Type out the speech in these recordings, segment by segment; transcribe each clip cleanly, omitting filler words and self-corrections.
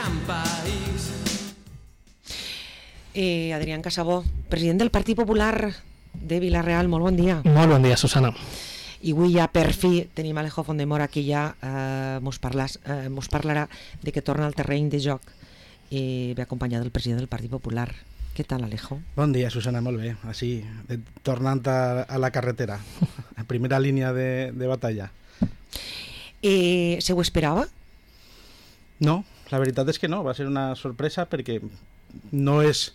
gran país. Adrián Casabó, president del Partit Popular de Vila-real, molt bon dia. Molt bon dia, Susana. I avui ja per fi tenim Alejo Fondemora, que ja mos parlarà de que torna al terreny de joc i ve acompanyat del president del Partit Popular. Què tal, Alejo? Bon dia, Susana, molt bé. Així, tornant a la carretera, a primera línia de batalla. Se ho esperava? No, la veritat és que no, va ser una sorpresa perquè no és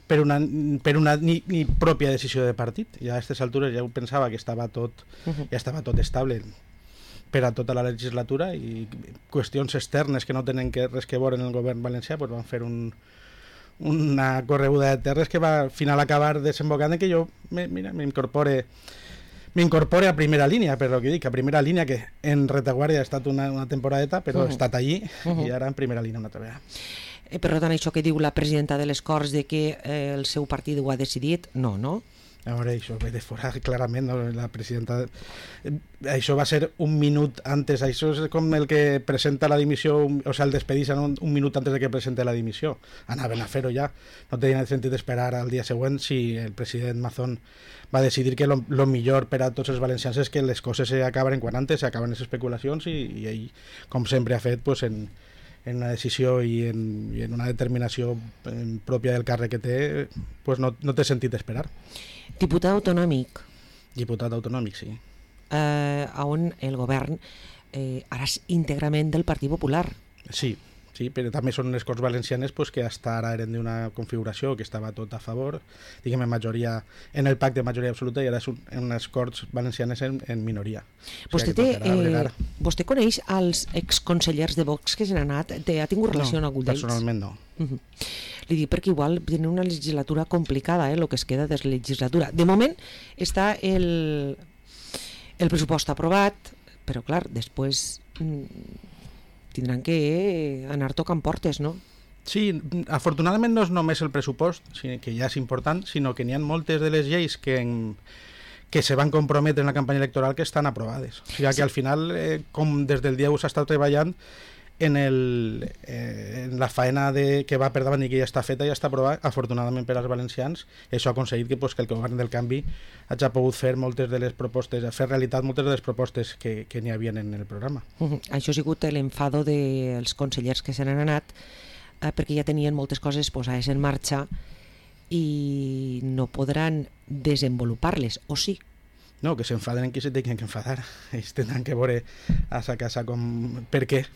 per una ni pròpia decisió de partit. Ja a aquestes altures ja ho pensava que ja estava tot estable per a tota la legislatura, i qüestions externes que no tenen res que veure en el govern valencià pues van fer una correguda de terres que va al final acabar desembocant en que jo m'incorpore a primera línia, però que dic, a primera línia que en retaguardia ha estat una temporadeta, però he estat allí i ara en primera línia una altra vegada. Per tant, això que diu la presidenta de les Corts de que el seu partit ho ha decidit, no? A veure, això ve de fora clarament, no? La presidenta... Això va ser un minut antes, això és com el que presenta la dimissió, o sigui, el despedís un minut antes de que presente la dimissió. Anaven a fer-ho ja, no tenia sentit esperar al dia següent si el president Mazón va decidir que lo millor per a tots els valencians és que les coses s'acaben quan antes, s'acaben les especulacions, i ell, com sempre ha fet, pues, en una decisió i en una determinació pròpia del càrrec que té, pues no té sentit esperar. Diputat autonòmic. Diputat autonòmic, sí. On el govern ara és íntegrament del Partit Popular. Sí, però també són les Corts Valencianes pues, que hasta ara eren d'una configuració que estava tot a favor, diguem, en el pacte de majoria absoluta, i ara són unes Corts Valencianes en minoria. Vostè coneix els exconsellers de Vox que se n'han anat? Ha tingut relació amb algun d'ells? Personalment no. Li dic perquè igual tenen una legislatura complicada, el que es queda de la legislatura. De moment està el pressupost aprovat, però clar, després tindran que anar tocant portes, no? Sí, afortunadament no és només el pressupost, que ja és important, sinó que n'hi ha moltes de les lleis que se van comprometre en la campanya electoral que estan aprovades. O sigui que al final, com des del dia 1 s'ha estat treballant en la faena que va per davant i que ja està feta, ja està aprovada, afortunadament per als valencians. Això ha aconseguit que el govern del canvi hagi pogut fer moltes de les propostes, fer realitat moltes de les propostes que n'hi havia en el programa. Això ha sigut l'enfado dels consellers que se n'han anat, perquè ja tenien moltes coses posades en marxa i no podran desenvolupar-les, o sí? No, que s'enfaden en qui se tenen que enfadar. Ells tindran que veure a sa casa per què.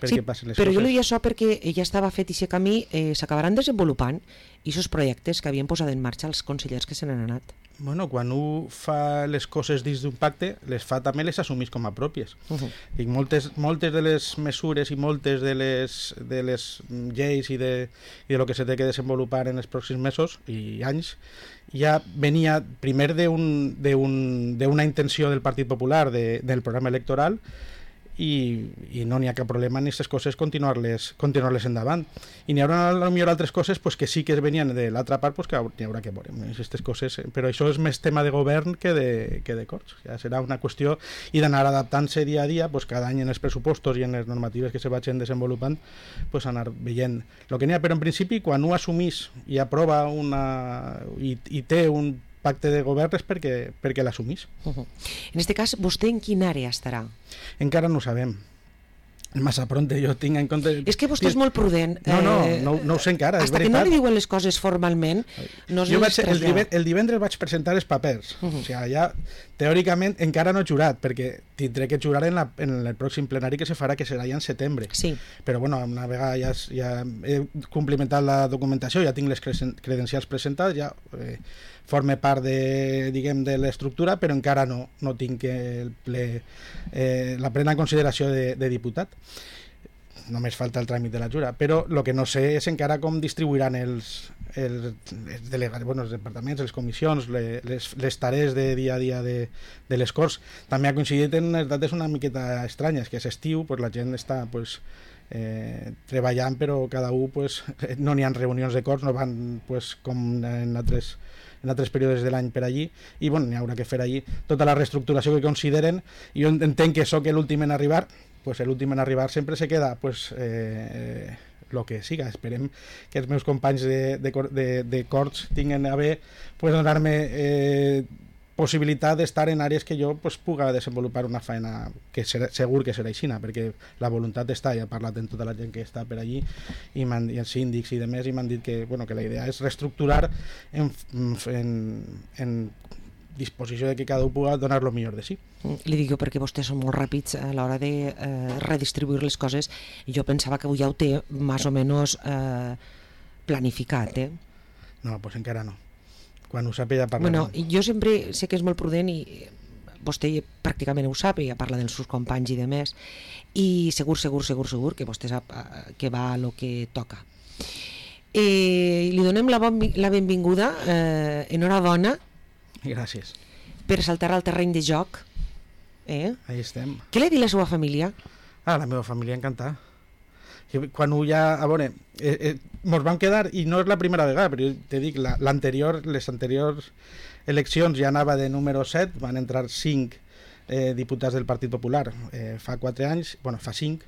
Sí, però jo li dic això perquè ja estava fet i aquest camí s'acabaran desenvolupant, i aquests projectes que havien posat en marxa els consellers que se n'han anat. Bueno, quan un fa les coses dins d'un pacte, les fa també, les assumís com a pròpies. I moltes de les mesures i moltes de les lleis i de lo que se té que desenvolupar en els pròxims mesos i anys ja venia primer d'una intenció del Partit Popular del programa electoral, i no n'hi ha cap problema en aquestes coses continuar-les endavant. I n'hi haurà potser altres coses pues, que sí que venien de l'altra part, pues, que n'hi haurà que veure aquestes coses, però això és més tema de govern que de Corts. Ja serà una qüestió i d'anar adaptant-se dia a dia, pues, cada any en els pressupostos i en les normatives que se vagin desenvolupant, pues, anar veient el que n'hi ha. Però en principi, quan un assumís i aprova i té un pacte de govern és perquè l'assumís. En aquest cas, vostè en quina àrea estarà? Encara no ho sabem. Massa pronte, jo tinc en compte... És que vostè és molt prudent. No ho sé encara, és veritat. Hasta que no li diuen les coses formalment, no es les trasllada. El divendres vaig presentar els papers. O sigui, ja, teòricament, encara no he jurat, perquè tindré que jurar en el pròxim plenari que se farà, que serà ja en setembre. Sí. Però, bueno, una vegada ja he complimentat la documentació, ja tinc les credencials presentades, ja forme part de l'estructura, però encara no tinc la plena consideració de diputat. Només falta el tràmit de la jura, però el que no sé és encara com distribuiran els delegats, els departaments, les comissions, les tarees de dia a dia de les Corts. També ha coincidit en les dates una miqueta estranyes, que és estiu, la gent està treballant, però cada un no n'hi ha reunions de Corts, no van com en altres períodes de l'any per allí, i n'hi haurà que fer allí tota la reestructuració que consideren. I jo entenc que sóc l'últim en arribar, l'últim en arribar sempre se queda el que siga. Esperem que els meus companys de Corts tinguen a bé pues, donar-me possibilitat d'estar en àrees que jo pues, puga desenvolupar una feina que segur que serà aixina, perquè la voluntat està, ja he parlat amb tota la gent que està per allí i els síndics i demés, i m'han dit que, bueno, que la idea és reestructurar en disposició de que cada un pugui donar el millor de si. Li dic jo perquè vostès són molt ràpids a l'hora de redistribuir les coses, i jo pensava que avui ja ho té més o menys planificat, No, doncs encara no. Quan ho sàpiga ja parlarem. Bueno, jo sempre sé que és molt prudent i vostè pràcticament ho sap, ja parla dels seus companys i demés, i segur que vostè sap que va a lo que toca. Li donem la benvinguda, enhorabona. Gràcies. Per saltar al terreny de joc. Ahí estem. Què li ha dit la seva família? La meva família encantada. Quan ho ja... A veure, mos vam quedar, i no és la primera vegada, però te dic, les anteriors eleccions ja anava de número 7, van entrar 5 diputats del Partit Popular fa 4 anys, bueno, fa 5,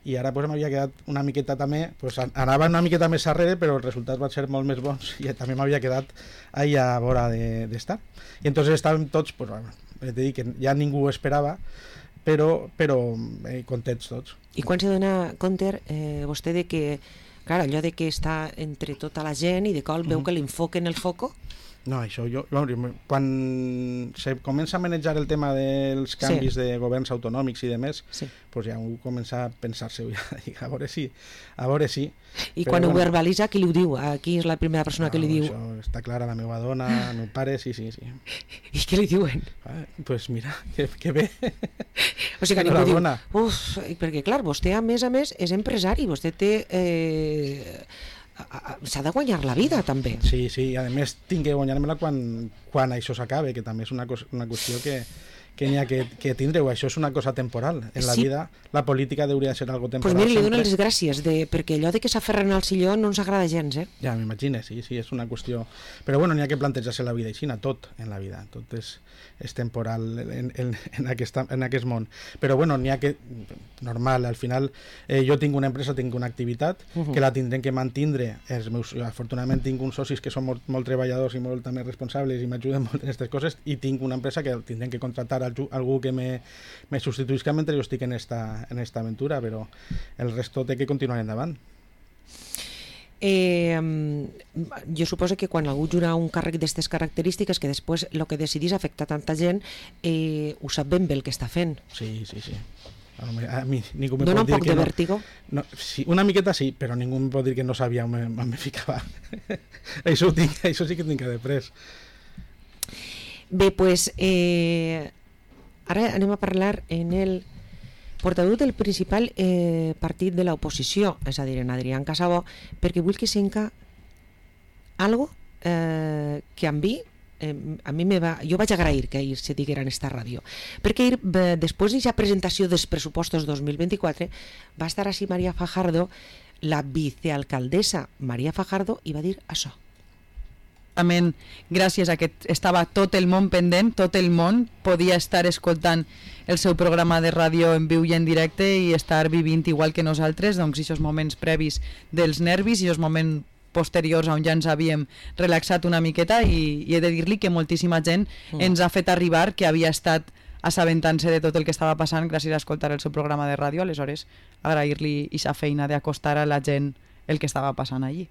i ara pues, m'havia quedat una miqueta també, pues, anava una miqueta més arrere, però els resultats van ser molt més bons, i també m'havia quedat allà a vora d'estar. I entonces estàvem tots, pues, bueno, te dic que ja ningú ho esperava, però contents tots. I quan se dona compte vostè de que, clar, allò de que està entre tota la gent i de cop veu que l'enfoquen el foco? No, això quan se comença a manejar el tema dels canvis de governs autonòmics i demés, pues ja ho comença a pensar-se, a veure si. I quan ho verbalitza, qui li ho diu? Qui és la primera persona que li diu? Això està clar, la meva dona, el meu pare, sí. I què li diuen? Pues mira, que bé. O sigui que ningú diu, perquè clar, vostè a més és empresari, vostè té... s'ha de guanyar la vida també. Sí, i a més tinc que guanyar-me-la quan això s'acabe, que també és una qüestió que n'hi ha que tindre-ho. Això és una cosa temporal. En la vida la política hauria de ser algo temporal. Pues mira, li dono les gràcies, perquè allò de que s'aferren al silló no ens agrada gens, Ja, m'imagino, sí, és una qüestió... Però bueno, n'hi ha que plantejar-se la vida així, tot en la vida, tot és temporal en aquest món. Però bueno, n'hi ha que... Normal, al final jo tinc una empresa, tinc una activitat que la tindrem que mantindre. Afortunadament tinc uns socis que són molt treballadors i molt també responsables i m'ajuden molt en aquestes coses, i tinc una empresa que tindrem que contractar algú que me substituïsca mentre jo estic en esta aventura, però el resto té que continuar endavant. Jo suposo que quan algú jura un càrrec d'aquestes característiques, que després el que decidís afecta tanta gent, ho sap ben bé el que està fent. Sí. A mi ningú me dona pot dir un poc que de vèrtigo? No, sí, una miqueta sí, però ningú em pot dir que no sabia on me ficava. Això sí que tinc que després. Bé, pues ara anem a parlar en el portaveu del principal partit de l'oposició, és a dir, en Adrián Casabó, perquè vull que senca algo que amb mi jo vaig agrair que ahir se diguera en esta ràdio, perquè ahir, després d'aquesta presentació dels pressupostos 2024, va estar així María Fajardo, la vicealcaldessa María Fajardo, i va dir això. Gràcies a que estava tot el món pendent, tot el món podia estar escoltant el seu programa de ràdio en viu i en directe i estar vivint igual que nosaltres, doncs aquests moments previs dels nervis i els moments posteriors on ja ens havíem relaxat una miqueta, i he de dir-li que moltíssima gent ens ha fet arribar que havia estat assabentant-se de tot el que estava passant gràcies a escoltar el seu programa de ràdio. Aleshores, agrair-li aquesta feina d'acostar a la gent el que estava passant allí.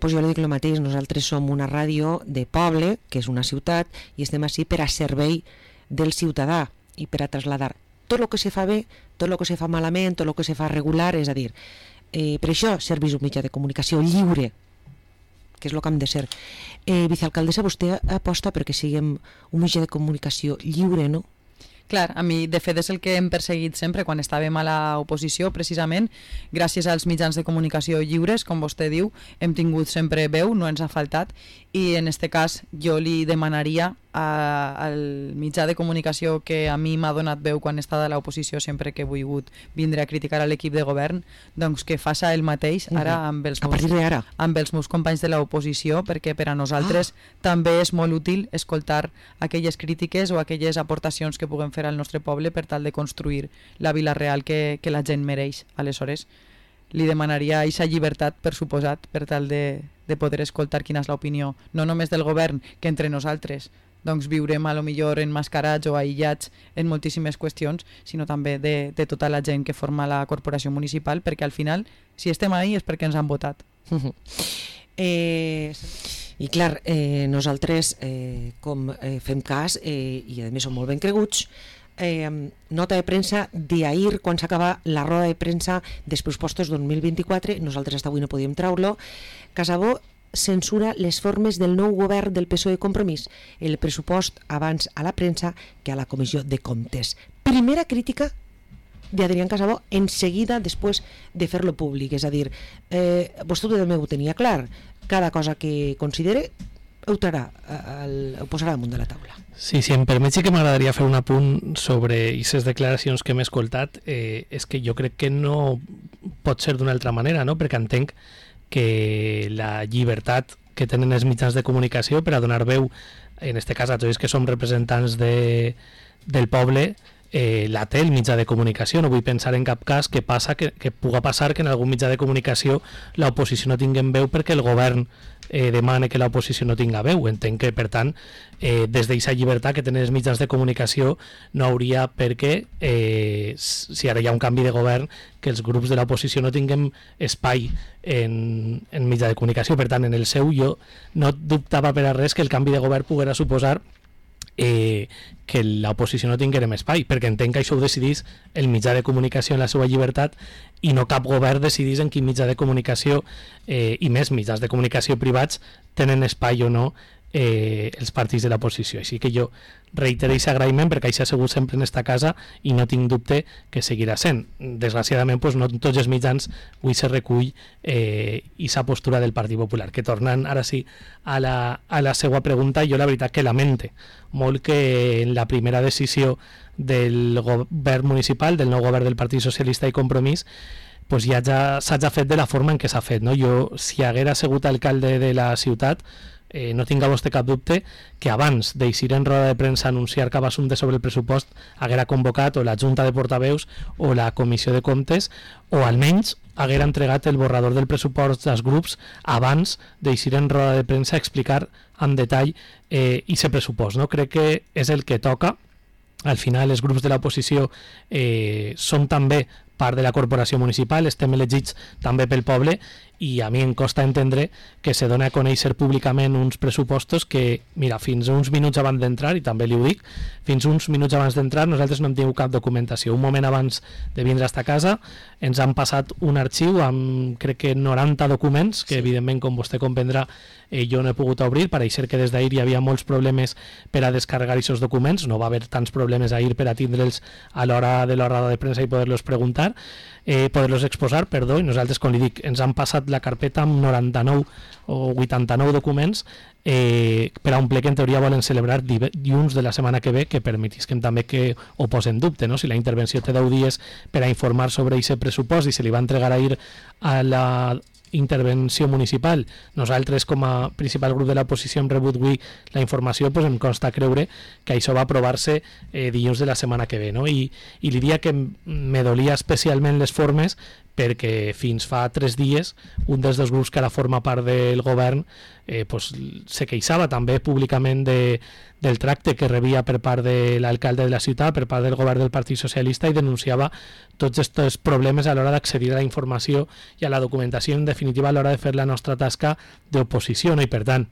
Pues jo li dic el mateix, nosaltres som una ràdio de poble, que és una ciutat, i estem així per a servei del ciutadà i per a traslladar tot el que se fa bé, tot el que se fa malament, tot el que se fa regular, és a dir, per això serveix un mitjà de comunicació lliure, que és el que hem de ser. Vicealcaldessa, vostè aposta perquè siguem un mitjà de comunicació lliure, no? Clar, a mi de fet és el que hem perseguit sempre quan estàvem a l'oposició, precisament gràcies als mitjans de comunicació lliures, com vostè diu, hem tingut sempre veu, no ens ha faltat, i en este cas jo li demanaria al mitjà de comunicació que a mi m'ha donat veu quan he estat a l'oposició sempre que he volgut vindre a criticar a l'equip de govern, doncs que faça el mateix ara amb els meus companys de l'oposició, perquè per a nosaltres també és molt útil escoltar aquelles crítiques o aquelles aportacions que puguem fer al nostre poble per tal de construir la Vila Real que la gent mereix. Aleshores, li demanaria aquesta llibertat, per suposat, per tal de poder escoltar quina és l'opinió, no només del govern, que entre nosaltres doncs viurem a lo millor emmascarats o aïllats en moltíssimes qüestions, sinó també de tota la gent que forma la corporació municipal, perquè al final, si estem ahí és perquè ens han votat. I clar, nosaltres com fem cas i a més som molt ben creguts, nota de premsa d'ahir, quan s'acaba la roda de premsa dels pressupostos 2024, nosaltres hasta avui no podíem treure-lo. Casabó censura les formes del nou govern del PSOE Compromís, el pressupost abans a la premsa que a la Comissió de Comptes. Primera crítica d'Adrián Casabó en seguida després de fer-lo públic, és a dir, vostè també ho tenia clar, cada cosa que considere ho posarà damunt de la taula. Sí, si em permet, sí que m'agradaria fer un apunt sobre aquestes declaracions que m'he escoltat. És que jo crec que no pot ser d'una altra manera, no? Perquè entenc que la llibertat que tenen els mitjans de comunicació per a donar veu, en este cas a tots que som representants del poble, la té el mitjà de comunicació. No vull pensar en cap cas que puga passar que en algun mitjà de comunicació l'oposició no tingui veu perquè el govern demana que l'oposició no tinga veu. Entenc que, per tant, des d'aquesta llibertat que tenen els mitjans de comunicació no hauria per què, si ara hi ha un canvi de govern, que els grups de l'oposició no tinguem espai en mitjà de comunicació. Per tant, en el seu jo no dubtava per a res que el canvi de govern poguera suposar que l'oposició no tinguérem espai, perquè entenc que això ho decidís el mitjà de comunicació en la seva llibertat i no cap govern decidís en quin mitjà de comunicació i més mitjans de comunicació privats tenen espai o no els partits de l'oposició. Així que jo reitero aquest agraïment perquè això ha sigut sempre en esta casa i no tinc dubte que seguirà sent. Desgraciadament, doncs, no en tots els mitjans avui se recull aquesta postura del Partit Popular. Que tornant ara sí a la seva pregunta, jo la veritat que lamente molt que en la primera decisió del govern municipal, del nou govern del Partit Socialista i Compromís, pues ja s'ha fet de la forma en què s'ha fet, no? Jo, si haguera sigut alcalde de la ciutat, no tinga vostè cap dubte que abans d'eixir en roda de premsa a anunciar cap assumpte sobre el pressupost haguera convocat o la Junta de Portaveus o la Comissió de Comptes, o almenys haguera entregat el borrador del pressupost als grups abans d'eixir en roda de premsa a explicar en detall aquest pressupost, no? Crec que és el que toca. Al final els grups de l'oposició són també part de la corporació municipal, estem elegits també pel poble i a mi em costa entendre que se dona a conèixer públicament uns pressupostos que, mira, fins uns minuts abans d'entrar, i també li ho dic, fins uns minuts abans d'entrar nosaltres no hem tingut cap documentació. Un moment abans de vindre a esta casa ens han passat un arxiu amb, crec que 90 documents, que evidentment, com vostè comprendrà, jo no he pogut obrir, pareixer que des d'ahir hi havia molts problemes per a descarregar aquests documents, no va haver tants problemes ahir per a tindre'ls a l'hora de la roda de premsa i poder-los preguntar, poder-los exposar, perdó, i nosaltres, com li dic, ens han passat la carpeta amb 99 o 89 documents per a un ple que en teoria volen celebrar dilluns de la setmana que ve, que permetisquem també que ho posa en dubte, no? Si la intervenció té 10 dies per a informar sobre aquest pressupost i se li va entregar ahir a la intervenció municipal, nosaltres com a principal grup de l'oposició hem rebut avui la informació, doncs em consta creure que això va aprovar-se dilluns de la setmana que ve, no? I li diria que me dolia especialment les formes perquè fins fa 3 dies un dels dos grups que ara forma part del govern se queixava també públicament del tracte que rebia per part de l'alcalde de la ciutat, per part del govern del Partit Socialista, i denunciava tots aquests problemes a l'hora d'accedir a la informació i a la documentació, en definitiva a l'hora de fer la nostra tasca d'oposició, no? I per tant,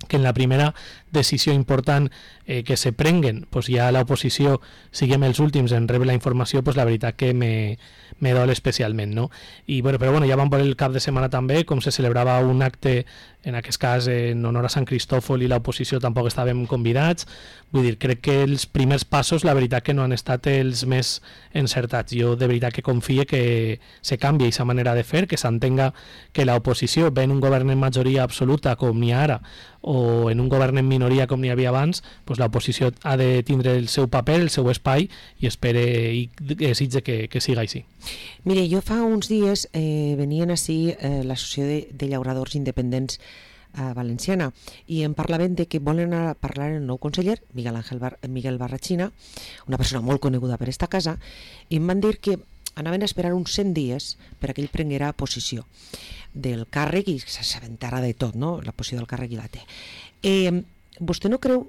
que en la primera decisió important que se prenguen, pues ja l'oposició siguem els últims en rebre la informació, pues la veritat que me dol especialment, no? I bueno, però bueno, ja vam veure el cap de setmana també com se celebrava un acte, en aquest cas en honor a Sant Cristòfol, i l'oposició tampoc estàvem convidats. Vull dir, crec que els primers passos la veritat que no han estat els més encertats. Jo de veritat que confie que se canvia aquesta manera de fer, que s'entenga que l'oposició ve en un govern en majoria absoluta com n'hi ha ara, o en un govern en minoria com n'hi havia abans, doncs l'oposició ha de tindre el seu paper, el seu espai, i espere i desitge que siga així. Mire, jo fa uns dies venien ací l'Associació de Llauradors Independents valenciana i em parlaven de que volen anar a parlar el nou conseller, Miguel Barrachina, una persona molt coneguda per esta casa, i em van dir que anaven a esperar uns 100 dies per a que ell prenguera posició del càrrec i s'assabentara de tot, no? La posició del càrrec i la té. Vostè no creu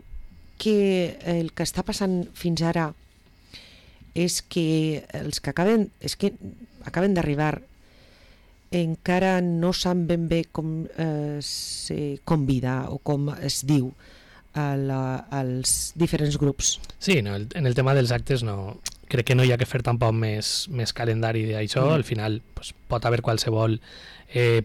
que el que està passant fins ara és que els que acaben d'arribar encara no saben ben bé com se convida o com es diu als diferents grups? Sí, no, en el tema dels actes no, crec que no hi ha que fer tampoc més calendari d'això. Al final pues, pot haver qualsevol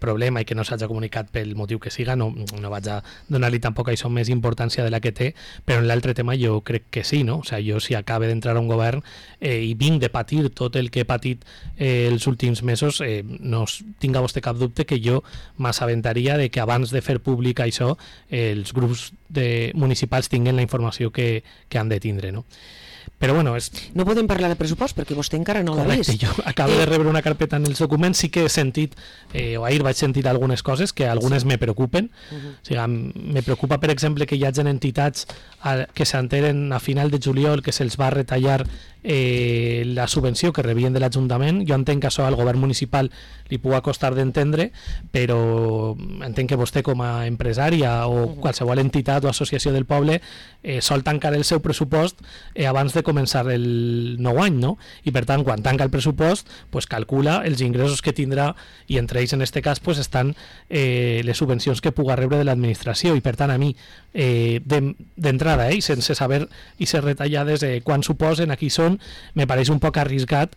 problema i que no s'hagi comunicat pel motiu que siga, no vaig a donar-li tampoc a això més importància de la que té, però en l'altre tema jo crec que sí, no? O sigui, jo si acabe d'entrar a un govern i vinc de patir tot el que he patit els últims mesos, no tinga vostè cap dubte que jo m'assabentaria de que abans de fer públic això els grups municipals tinguen la informació que han de tindre, no? Però bueno, no podem parlar de pressupost perquè vostè encara no l'ha vist. Jo acabo de rebre una carpeta en els documents, sí que he sentit, o ahir vaig sentir algunes coses que algunes me preocupen. O sigui, me preocupa, per exemple, que hi hagi entitats que s'enteren a final de juliol que se'ls va retallar la subvenció que rebien de l'Ajuntament. Jo entenc que això al govern municipal li pugui costar d'entendre, però entenc que vostè com a empresària o qualsevol entitat o associació del poble sol tancar el seu pressupost abans de començar el nou any, no? I per tant, quan tanca el pressupost, pues calcula els ingressos que tindrà i entre ells en aquest cas pues, estan les subvencions que pugui rebre de l'administració i per tant a mi d'entrada sense saber i ser retallades quan suposen, aquí són, me pareix un poc arriscat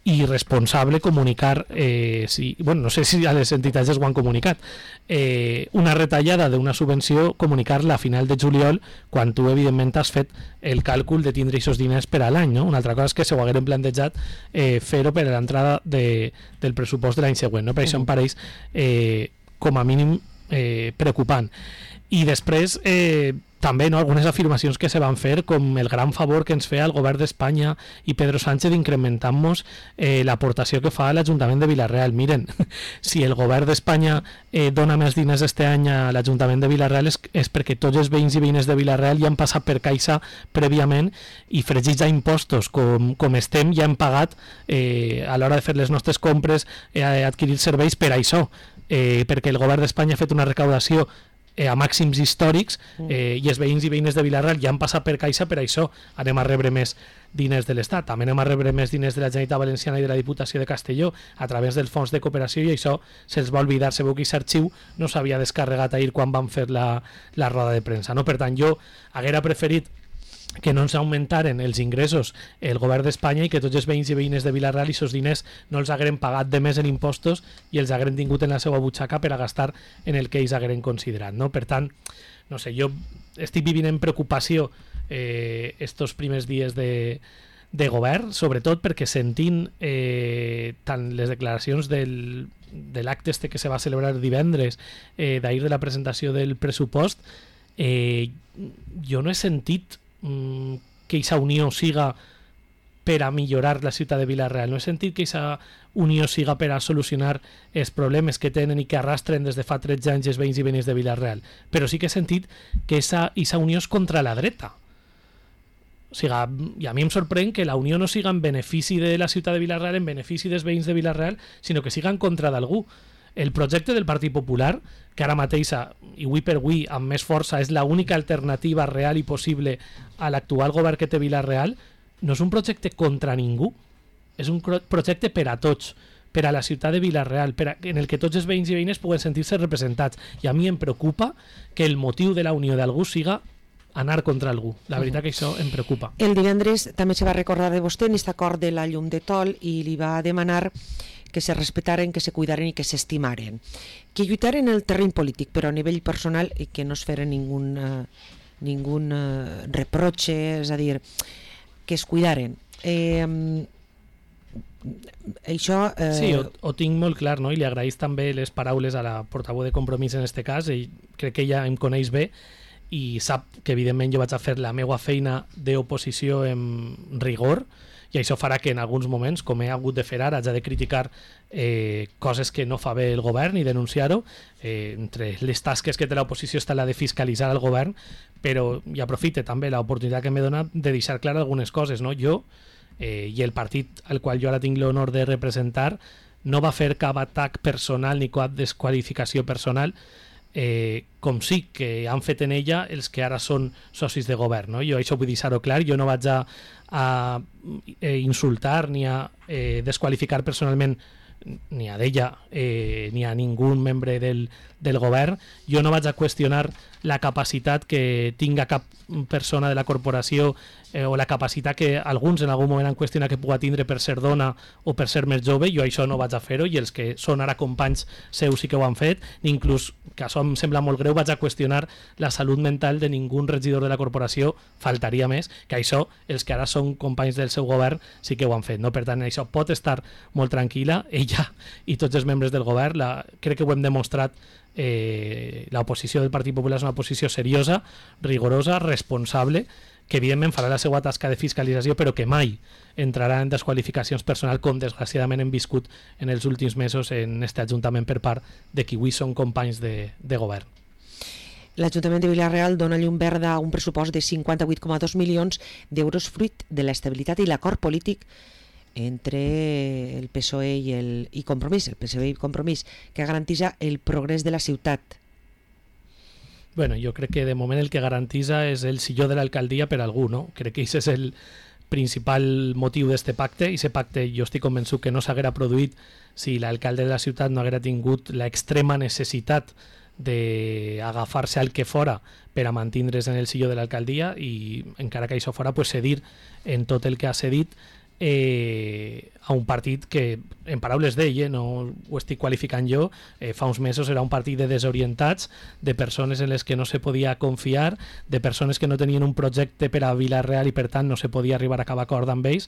i irresponsable comunicar, no sé si a les entitats es ho han comunicat, una retallada d'una subvenció, comunicar-la a final de juliol quan tu evidentment has fet el càlcul de tindre aquests diners per a l'any, no? Una altra cosa és que se ho hagueren plantejat fer-ho per a l'entrada del pressupost de l'any següent, no? Per això em pareix com a mínim preocupant. I després també algunes afirmacions que se van fer com el gran favor que ens feia el govern d'Espanya i Pedro Sánchez incrementant-nos l'aportació que fa a l'Ajuntament de Vila-real. Miren, si el govern d'Espanya dona més diners este any a l'Ajuntament de Vila-real és perquè tots els veïns i veïnes de Vila-real ja han passat per Caixa prèviament i fregits a impostos com estem ja hem pagat a l'hora de fer les nostres compres, adquirir serveis per això, perquè el govern d'Espanya ha fet una recaudació a màxims històrics i els veïns i veïnes de Vila-real ja han passat per Caixa per això anem a rebre més diners de l'Estat, també anem a rebre més diners de la Generalitat Valenciana i de la Diputació de Castelló a través del fons de cooperació i això se'ls va oblidar, segur que aquest arxiu no s'havia descarregat ahir quan van fer la roda de premsa, no? Per tant jo haguera preferit que no ens augmentaren els ingressos el govern d'Espanya i que tots els veïns i veïnes de Vila-real i aquests diners no els hagueren pagat de més en impostos i els hagueren tingut en la seva butxaca per a gastar en el que ells hagueren considerat, no? Per tant, no sé, jo estic vivint en preocupació estos primers dies de govern, sobretot perquè sentint tant les declaracions de l'acte que se va celebrar divendres d'ahir de la presentació del pressupost, jo no he sentit que aquesta unió siga per a millorar la ciutat de Vila-real, no he sentit que aquesta unió siga per a solucionar els problemes que tenen i que arrastren des de fa 13 anys els veïns i veïnes de Vila-real, però sí que he sentit que aquesta unió és contra la dreta. O sigui, i a mi em sorprèn que la unió no siga en benefici de la ciutat de Vila-real, en benefici dels veïns de Vila-real, sinó que siga en contra d'algú. El projecte del Partit Popular, que ara mateix, i avui per avui, amb més força, és l'única alternativa real i possible a l'actual govern que té Vila-real, no és un projecte contra ningú, és un projecte per a tots, per a la ciutat de Vila-real, en el que tots els veïns i veïnes puguen sentir-se representats. I a mi em preocupa que el motiu de la unió d'algú siga anar contra algú. La veritat que això em preocupa. El divendres també se va recordar de vostè en aquest acord de la llum de tol i li va demanar que se respetaren, que se cuidaren i que s'estimaren. Que lluitaren en el terreny polític, però a nivell personal i que no es feren ningun reproche, és a dir, que es cuidaren. Això... Sí, ho tinc molt clar, no? I li agraïs també les paraules a la portaveu de Compromís en aquest cas, i crec que ella em coneix bé i sap que evidentment jo vaig a fer la meva feina d'oposició en rigor, i això farà que en alguns moments, com he hagut de fer ara, haig de criticar coses que no fa bé el govern i denunciar-ho. Entre les tasques que té l'oposició està la de fiscalitzar el govern, però i aprofite també l'oportunitat que m'he donat de deixar clar algunes coses, no? Jo i el partit al qual jo ara tinc l'honor de representar no va fer cap atac personal ni cap desqualificació personal, com sí que han fet en ella els que ara són socis de govern, no? Jo això vull deixar-ho clar, jo no vaig a insultar ni a desqualificar personalment ni a d'ella ni a ningú membre del govern. Jo no vaig a qüestionar la capacitat que tinga cap persona de la corporació o la capacitat que alguns en algun moment han qüestionat que pugui tindre per ser dona o per ser més jove. Jo això no vaig a fer-ho, i els que són ara companys seus sí que ho han fet. Inclús, que això em sembla molt greu, vaig a qüestionar la salut mental de ningú regidor de la corporació, faltaria més, que això els que ara són companys del seu govern sí que ho han fet, no? Per tant, això pot estar molt tranquil·la, ella i tots els membres del govern. Crec que ho hem demostrat. L'oposició del Partit Popular és una oposició seriosa, rigorosa, responsable, que evidentment farà la seva tasca de fiscalització, però que mai entrarà en desqualificacions personals, com desgraciadament hem viscut en els últims mesos en aquest Ajuntament per part de qui avui són companys de govern. L'Ajuntament de Vila-real dona llum verda a un pressupost de 58,2 milions d'euros fruit de l'estabilitat i l'acord polític entre el PSOE i Compromís, el PSOE i Compromís, que garantitza el progrés de la ciutat. Bueno, jo crec que de moment el que garantitza és el silló de l'alcaldia per algú, no? Crec que aquest és el principal motiu d'aquest pacte, i aquest pacte jo estic convençut que no s'haguera produït si l'alcalde de la ciutat no haguera tingut l'extrema necessitat d'agafar-se al que fora per a mantindre's en el silló de l'alcaldia, i encara que això fora, pues, cedir en tot el que ha cedit a un partit que, en paraules d'ell, no ho estic qualificant jo, fa uns mesos era un partit de desorientats, de persones en les que no se podia confiar, de persones que no tenien un projecte per a Vila-real i per tant no se podia arribar a cap acord amb ells.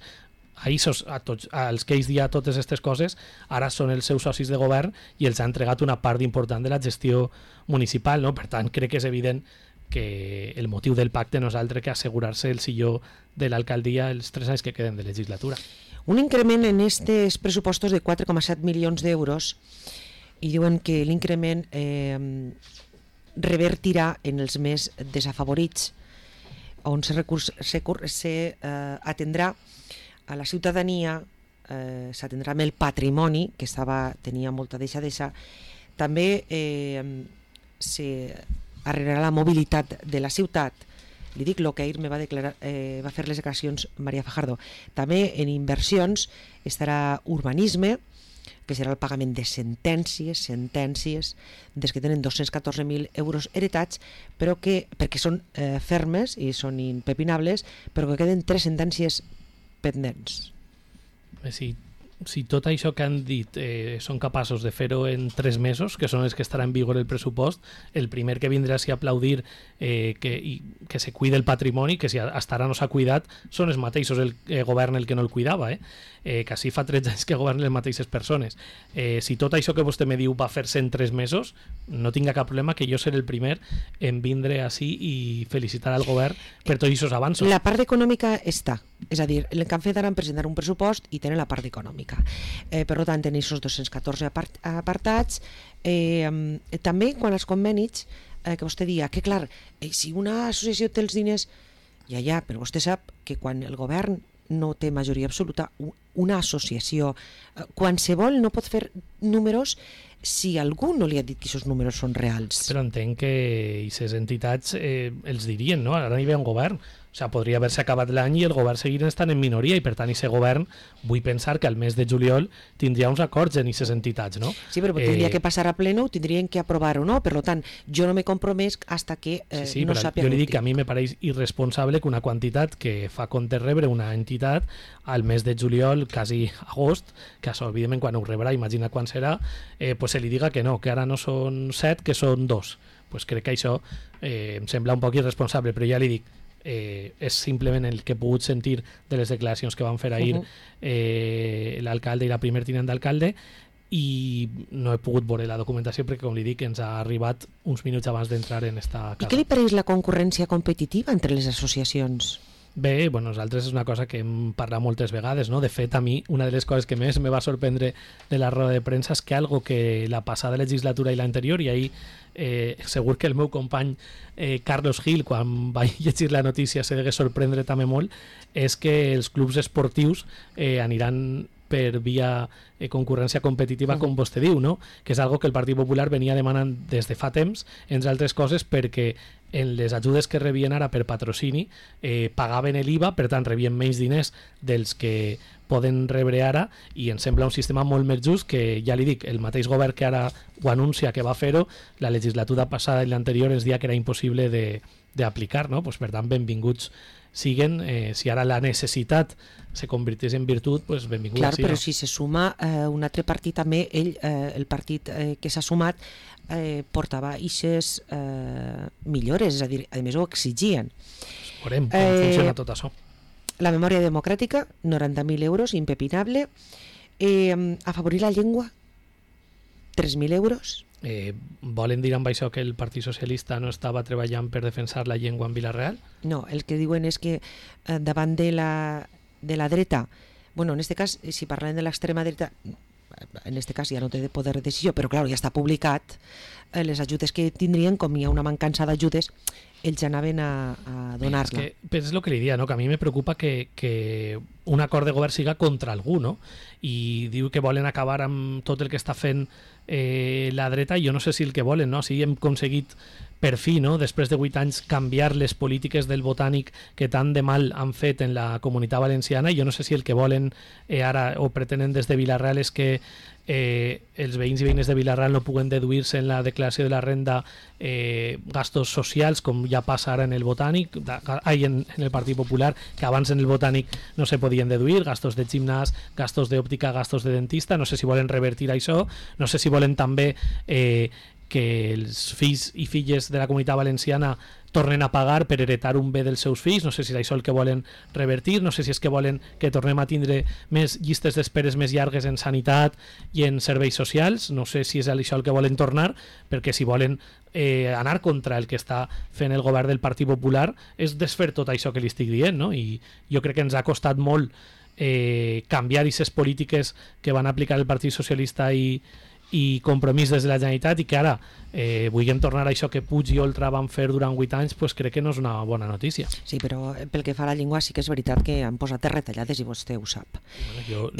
Als que ells dia totes aquestes coses ara són els seus socis de govern i els ha entregat una part important de la gestió municipal, no? Per tant, crec que és evident que el motiu del pacte no és altre que assegurar-se el silló de l'alcaldia els 3 anys que queden de legislatura. Un increment en aquests pressupostos de 4,7 milions d'euros, i diuen que l'increment revertirà en els més desafavorits, on s'atendrà a la ciutadania, s'atendrà amb el patrimoni, que tenia molta deixadesa. També s'arreglarà la mobilitat de la ciutat. Li dic el que ahir va fer les declaracions Maria Fajardo. També en inversions estarà urbanisme, que serà el pagament de sentències des que tenen 214.000 euros heretats, però perquè són fermes i són impepinables, però que queden 3 sentències pendents. Si tot això que han dit són capaços de fer-ho en 3 mesos, que són els que estarà en vigor el pressupost, el primer que vindrà a aplaudir que se cuide el patrimoni, que si hasta ara no s'ha cuidat, són els mateixos el govern el que no el cuidava, que així fa 13 anys que governen les mateixes persones. Si tot això que vostè me diu va fer-se en 3 mesos, no tinga cap problema que jo seré el primer en vindre així i felicitar al govern per tots aquests avanços. La part econòmica està, és a dir, el que han fet ara han presentat un pressupost i tenen la part econòmica. Per tant, tenen aquests 214 apartats. També quan els convenis, que vostè dia que clar, si una associació té els diners, ja, però vostè sap que quan el govern no té majoria absoluta, una associació qualsevol no pot fer números si algú no li ha dit que aquests números són reals. Però entenc que aquestes entitats els dirien, no? Ara hi ve un govern. O sigui, podria haver-se acabat l'any i el govern seguir estant en minoria, i per tant aquest govern vull pensar que al mes de juliol tindria uns acords en aquestes entitats, no? Sí, però tindria que passar a pleno, tindrien que aprovar o no, per tant, jo no m'he compromès hasta que no sàpiga. Jo li dic que a mi me pareix irresponsable que una quantitat que fa compte rebre una entitat al mes de juliol, quasi agost, que això, evidentment, quan ho rebrà, imagina quan serà, pues se li diga que no, que ara no són 7, que són 2. Pues crec que això em sembla un poc irresponsable, però ja li dic, és simplement el que he pogut sentir de les declaracions que van fer ahir l'alcalde i la primer tinent d'alcalde, i no he pogut veure la documentació perquè, com li dic, ens ha arribat uns minuts abans d'entrar en esta casa. I què li pareix la concurrència competitiva entre les associacions? Bé, bueno, nosaltres és una cosa que hem parlat moltes vegades, no? De fet, a mi, una de les coses que més me va sorprendre de la roda de premsa és que algo que la passada legislatura i l'anterior, i ahir segur que el meu company Carlos Gil, quan va llegir la notícia, se degué sorprendre també molt, és que els clubs esportius aniran per via concurrència competitiva, com vostè diu, no? Que és algo que el Partit Popular venia demanant des de fa temps, entre altres coses perquè en les ajudes que rebien ara per patrocini pagaven l'IVA, per tant rebien menys diners dels que poden rebre ara, i em sembla un sistema molt més just que, ja li dic, el mateix govern que ara ho anuncia que va fer-ho, la legislatura passada i l'anterior ens dia que era impossible d'aplicar, no? Pues, per tant, benvinguts siguen, si ara la necessitat se convertís en virtut, pues benvingut. Clar, però si se suma un altre partit també, el partit que s'ha sumat portava eixes millores, és a dir, a més ho exigien. Veurem com funciona tot això. La memòria democràtica, 90.000 euros, impepinable. Afavorir la llengua, 3.000 euros. Volen dir amb això que el Partit Socialista no estava treballant per defensar la llengua en Vila-real? No, el que diuen és que davant de la dreta, bueno, en este cas, si parlem de l'extrema dreta, en este cas ja no té de poder de decisió, però clar, ja està publicat, les ajudes que tindrien, com hi ha una mancança d'ajudes, ells anaven a donar-la. És el que li dia, no? Que a mi me preocupa que un acord de govern siga contra algú, no? I diu que volen acabar amb tot el que està fent la dreta, i jo no sé si el que volen, no? Si hem aconseguit per fi, no? Després de 8 anys, canviar les polítiques del botànic que tant de mal han fet en la Comunitat Valenciana, i jo no sé si el que volen ara o pretenen des de Vila-real és que els veïns i veïnes de Vila-real no puguen deduir-se en la declaració de la renda gastos socials, com ja passa ara en el botànic, en el Partit Popular, que abans en el botànic no se podien deduir, gastos de gimnàs, gastos d'òptica, gastos de dentista. No sé si volen revertir això, no sé si volen també que els fills i filles de la Comunitat Valenciana tornen a pagar per heretar un bé dels seus fills. No sé si és això el que volen revertir, no sé si és que volen que tornem a tindre més llistes d'esperes més llargues en sanitat i en serveis socials. No sé si és això el que volen tornar, perquè si volen anar contra el que està fent el govern del Partit Popular és desfer tot això que li estic dient, no? I jo crec que ens ha costat molt canviar aquestes polítiques que van aplicar el Partit Socialista i Compromís des de la Generalitat, i que ara vulguem tornar a això que Puig i Oltra van fer durant 8 anys, pues crec que no és una bona notícia. Sí, però pel que fa a la llengua sí que és veritat que han posat retallades i vostè ho sap. Bueno, jo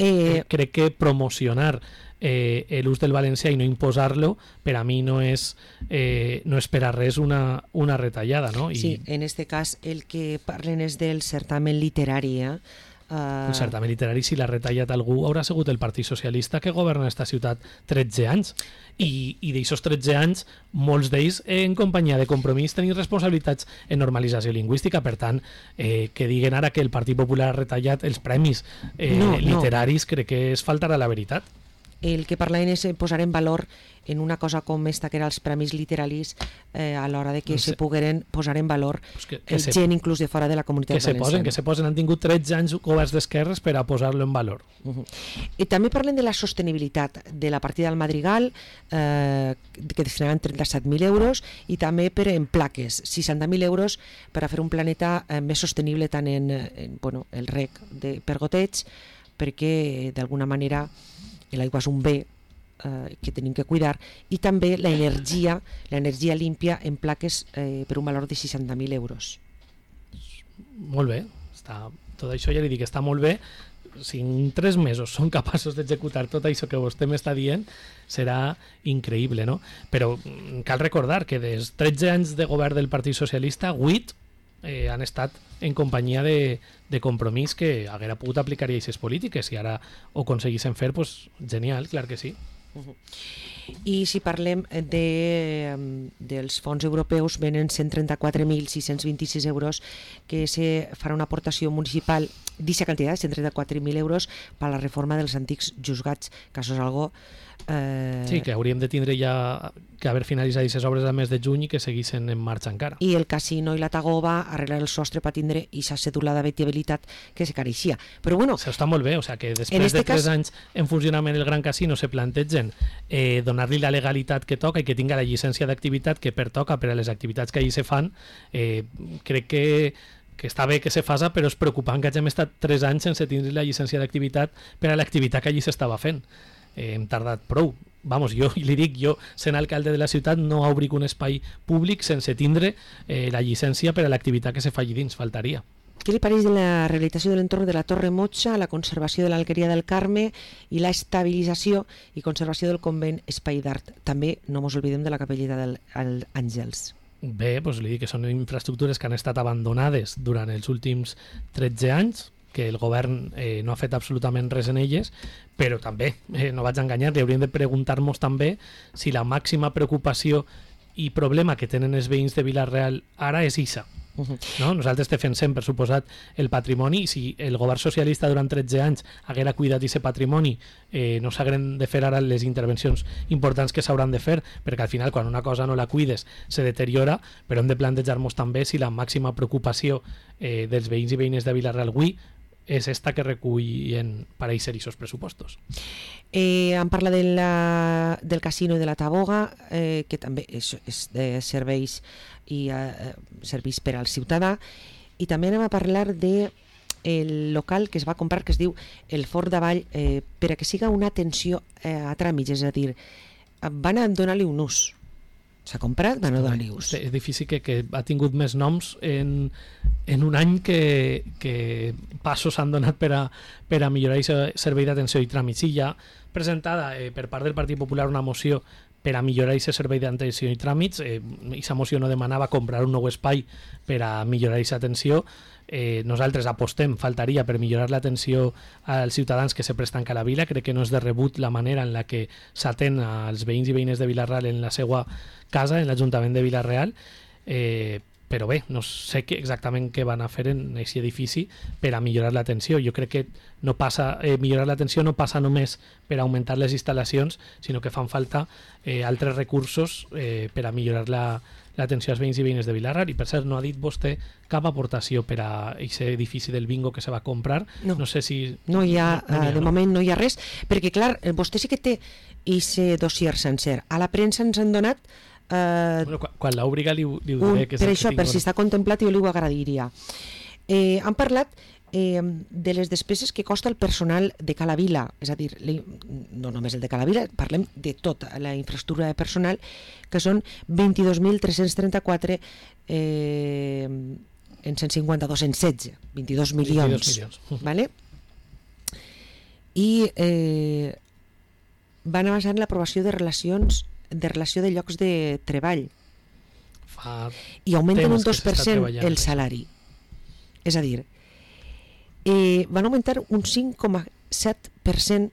crec que promocionar l'ús del valencià i no imposar-lo, per a mi no és per a res una retallada, no? Sí, en este cas el que parlen és del certamen literari, el certamen literari, si l'ha retallat algú, haurà sigut el Partit Socialista que governa aquesta ciutat 13 anys. I d'aixòs 13 anys, molts d'ells en companyia de Compromís tenien responsabilitats en normalització lingüística. Per tant, que diguen ara que el Partit Popular ha retallat els premis literaris, crec que és faltar a la veritat. El que parlem és posar en valor en una cosa com esta, que era els premis literaris, a l'hora de que se pogueren posar en valor gent inclús de fora de la Comunitat Valenciana. Que se posen, han tingut 13 anys governs d'esquerres per a posar-lo en valor. I també parlen de la sostenibilitat de la partida del Madrigal, que destinaran 37.000 euros, i també per en plaques, 60.000 euros per a fer un planeta més sostenible tant en el rec per goteig, perquè d'alguna manera l'aigua és un bé que tenim que cuidar, i també l'energia límpia en plaques per un valor de 60.000 euros. Molt bé, tot això ja li dic, està molt bé. Si en 3 mesos són capaços d'executar tot això que vostè m'està dient, serà increïble, no? Però cal recordar que des 13 anys de govern del Partit Socialista, 8 han estat en companyia de Compromís, que haguera pogut aplicar aquestes polítiques, i ara ho aconseguissin fer, pues genial, clar que sí. I si parlem dels fons europeus, venen 134.626 euros, que se farà una aportació municipal d'aquesta quantitat, 134.000 euros, per a la reforma dels antics juzgats, que això és algo... Sí, que hauríem de tindre ja que haver finalitzat aquestes obres al mes de juny i que seguissin en marxa encara. I el casino i la Tagoba arreglar el sostre per tindre aquesta cèdula d'habitabilitat que se careixia. Però bueno... Això està molt bé, o sea, que després de 3 anys en funcionament el Gran Casino se plantegen donar-li la legalitat que toca i que tinga la llicència d'activitat que pertoca per a les activitats que allí se fan. Crec que està bé que se faça, però és preocupant que hàgim estat 3 anys sense tindre la llicència d'activitat per a l'activitat que allí s'estava fent. Hem tardat prou. Vamos, jo li dic, jo, sent alcalde de la ciutat, no obric un espai públic sense tindre la llicència per a l'activitat que se fa allí dins, faltaria. Què li pareix de la rehabilitació de l'entorn de la Torre Motxa, la conservació de l'Alqueria del Carme i la estabilització i conservació del convent Espai d'Art? També no mos oblidem de la capelleta d'Àngels. Bé, doncs li dic que són infraestructures que han estat abandonades durant els últims 13 anys, que el govern no ha fet absolutament res en elles, però també, no vaig enganyar, li hauríem de preguntar-nos també si la màxima preocupació i problema que tenen els veïns de Vila-real ara és ISA. No? Nosaltres defensem, per suposat, el patrimoni, i si el govern socialista durant 13 anys haguera cuidat aquest patrimoni, no s'hagueren de fer ara les intervencions importants que s'hauran de fer, perquè al final quan una cosa no la cuides se deteriora, però hem de plantejar-nos també si la màxima preocupació dels veïns i veïnes de Vila-real avui és esta que recullen per eixir aquests pressupostos. Em parla del casino i de la Taboga, que també és de serveis i serveis per al ciutadà, i també anem a parlar de el local que es va comprar, que es diu el Fort d'Avall, per a que siga una atenció a tràmits, és a dir, van a donar-li un ús. S'ha comprat, van a donar-li ús. És difícil que ha tingut més noms en un any que passos s'han donat per a millorar aquest servei d'atenció i tràmits. Sí, ja presentada per part del Partit Popular una moció per a millorar aquest servei d'atenció i tràmits. Aquesta moció no demanava comprar un nou espai per a millorar aquesta atenció. Nosaltres apostem, faltaria, per millorar l'atenció als ciutadans que se presten a la vila. Crec que no és de rebut la manera en la que s'atén als veïns i veïnes de Vila-real en la seva casa, en l'Ajuntament de Vila-real, però bé, no sé exactament què van a fer en aquest edifici per a millorar l'atenció. Jo crec que no passa, millorar l'atenció no passa només per augmentar les instal·lacions, sinó que fan falta altres recursos per a millorar l'atenció als veïns i veïnes de Vila-real. I per cert, no ha dit vostè cap aportació per a aquest edifici del bingo que se va comprar. No sé si... No hi ha, de moment no hi ha res, perquè clar, vostè sí que té aquest dossier sencer. A la premsa ens han donat quan l'obriga li ho diré, que és per això, per si està contemplat, jo li ho agrairia. Han parlat de les despeses que costa el personal de Cala Vila, és a dir, no només el de Cala Vila, parlem de tota la infraestructura de personal, que són 22.334 en 152, en 16, 22 milions. Vale? I van avançar en l'aprovació de relació de llocs de treball i augmenten un 2% el salari, és a dir, van augmentar un 5,7%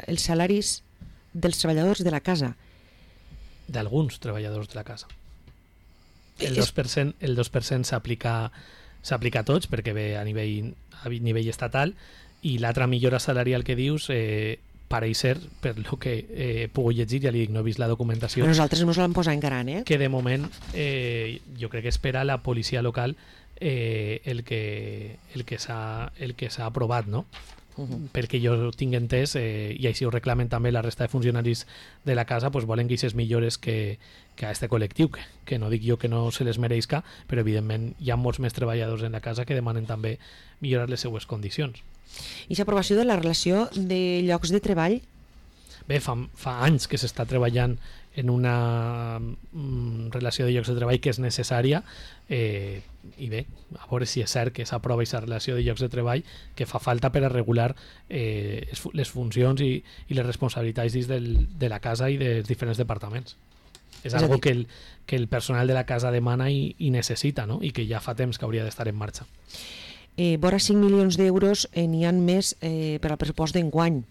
els salaris dels treballadors de la casa, d'alguns treballadors de la casa. El 2% s'aplica a tots perquè ve a nivell estatal, i l'altra millora salarial que dius pareix ser, per lo que he pogut llegir, ja li dic, no he vist la documentació. Però nosaltres no ens l'hem posat en gran, que de moment jo crec que espera la policia local el que s'ha aprovat, no? Perquè jo tinc entès, i així ho reclamen també la resta de funcionaris de la casa, pues volen que aquestes millores que a aquest col·lectiu, que no dic jo que no se les mereixca, però evidentment hi ha molts més treballadors en la casa que demanen també millorar les seues condicions. I l'aprovació de la relació de llocs de treball? Bé, fa anys que s'està treballant en una relació de llocs de treball que és necessària, i bé, a veure si és cert que s'aprova aquesta relació de llocs de treball que fa falta per a regular les funcions i les responsabilitats dins de la casa i dels diferents departaments. És algo que el personal de la casa demana i necessita, no? I que ja fa temps que hauria d'estar en marxa. Vora 5 milions d'euros n'hi ha més per al pressupost d'enguany.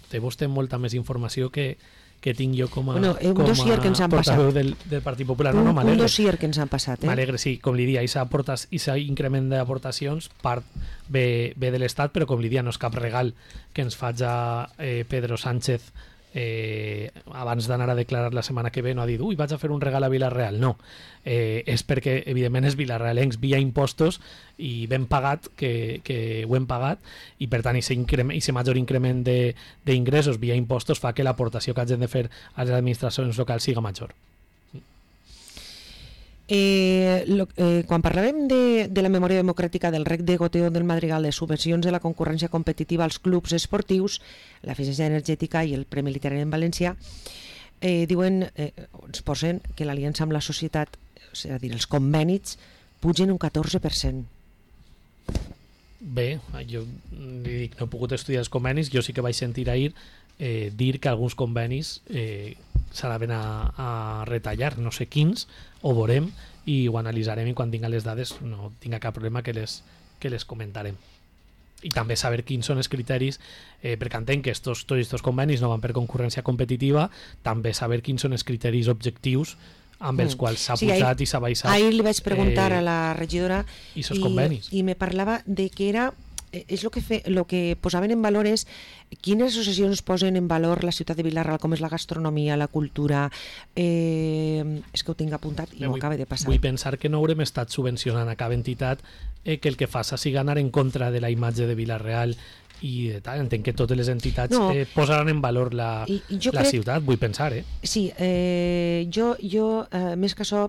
Té vostè molta més informació que tinc jo com a portaveu del Partit Popular. Un dossier que ens han passat. M'alegre, sí. Com li dia, aquest increment d'aportacions part ve de l'Estat, però com li dia no és cap regal que ens faci Pedro Sánchez abans d'anar a declarar la setmana que ve. No ha dit, vaig a fer un regal a Vila-real. No, és perquè evidentment és vilarealencs via impostos i ben pagat, que ho hem pagat, i per tant aquest major increment d'ingressos via impostos fa que l'aportació que hagin de fer a les administracions locals siga major. Quan parlàvem de la memòria democràtica, del rec de goteo del Madrigal, de subvencions de la concurrència competitiva als clubs esportius, l'eficiència energètica i el Premi Literari en Valencià, diuen, ens posen que l'aliança amb la societat, és a dir, els convenis, pugen un 14%. Bé, jo li dic, no he pogut estudiar els convenis, jo sí que vaig sentir ahir dir que alguns convenis s'anaven a retallar, no sé quins, ho veurem i ho analitzarem, i quan tinga les dades no tinga cap problema que les comentarem. I també saber quins són els criteris, perquè entenc que tots aquests convenis no van per concurrència competitiva, també saber quins són els criteris objectius amb els quals s'ha posat i s'ha baixat. Ahir li vaig preguntar a la regidora i me parlava de que era, és el que posaven en valor és quines associacions posen en valor la ciutat de Vila-real, com és la gastronomia, la cultura, és que ho tinc apuntat i no acaba de passar. Vull pensar que no haurem estat subvencionant a cap entitat que el que faça sigui anar en contra de la imatge de Vila-real i tal. Entenc que totes les entitats posaran en valor la ciutat, vull pensar. Sí, jo més que això,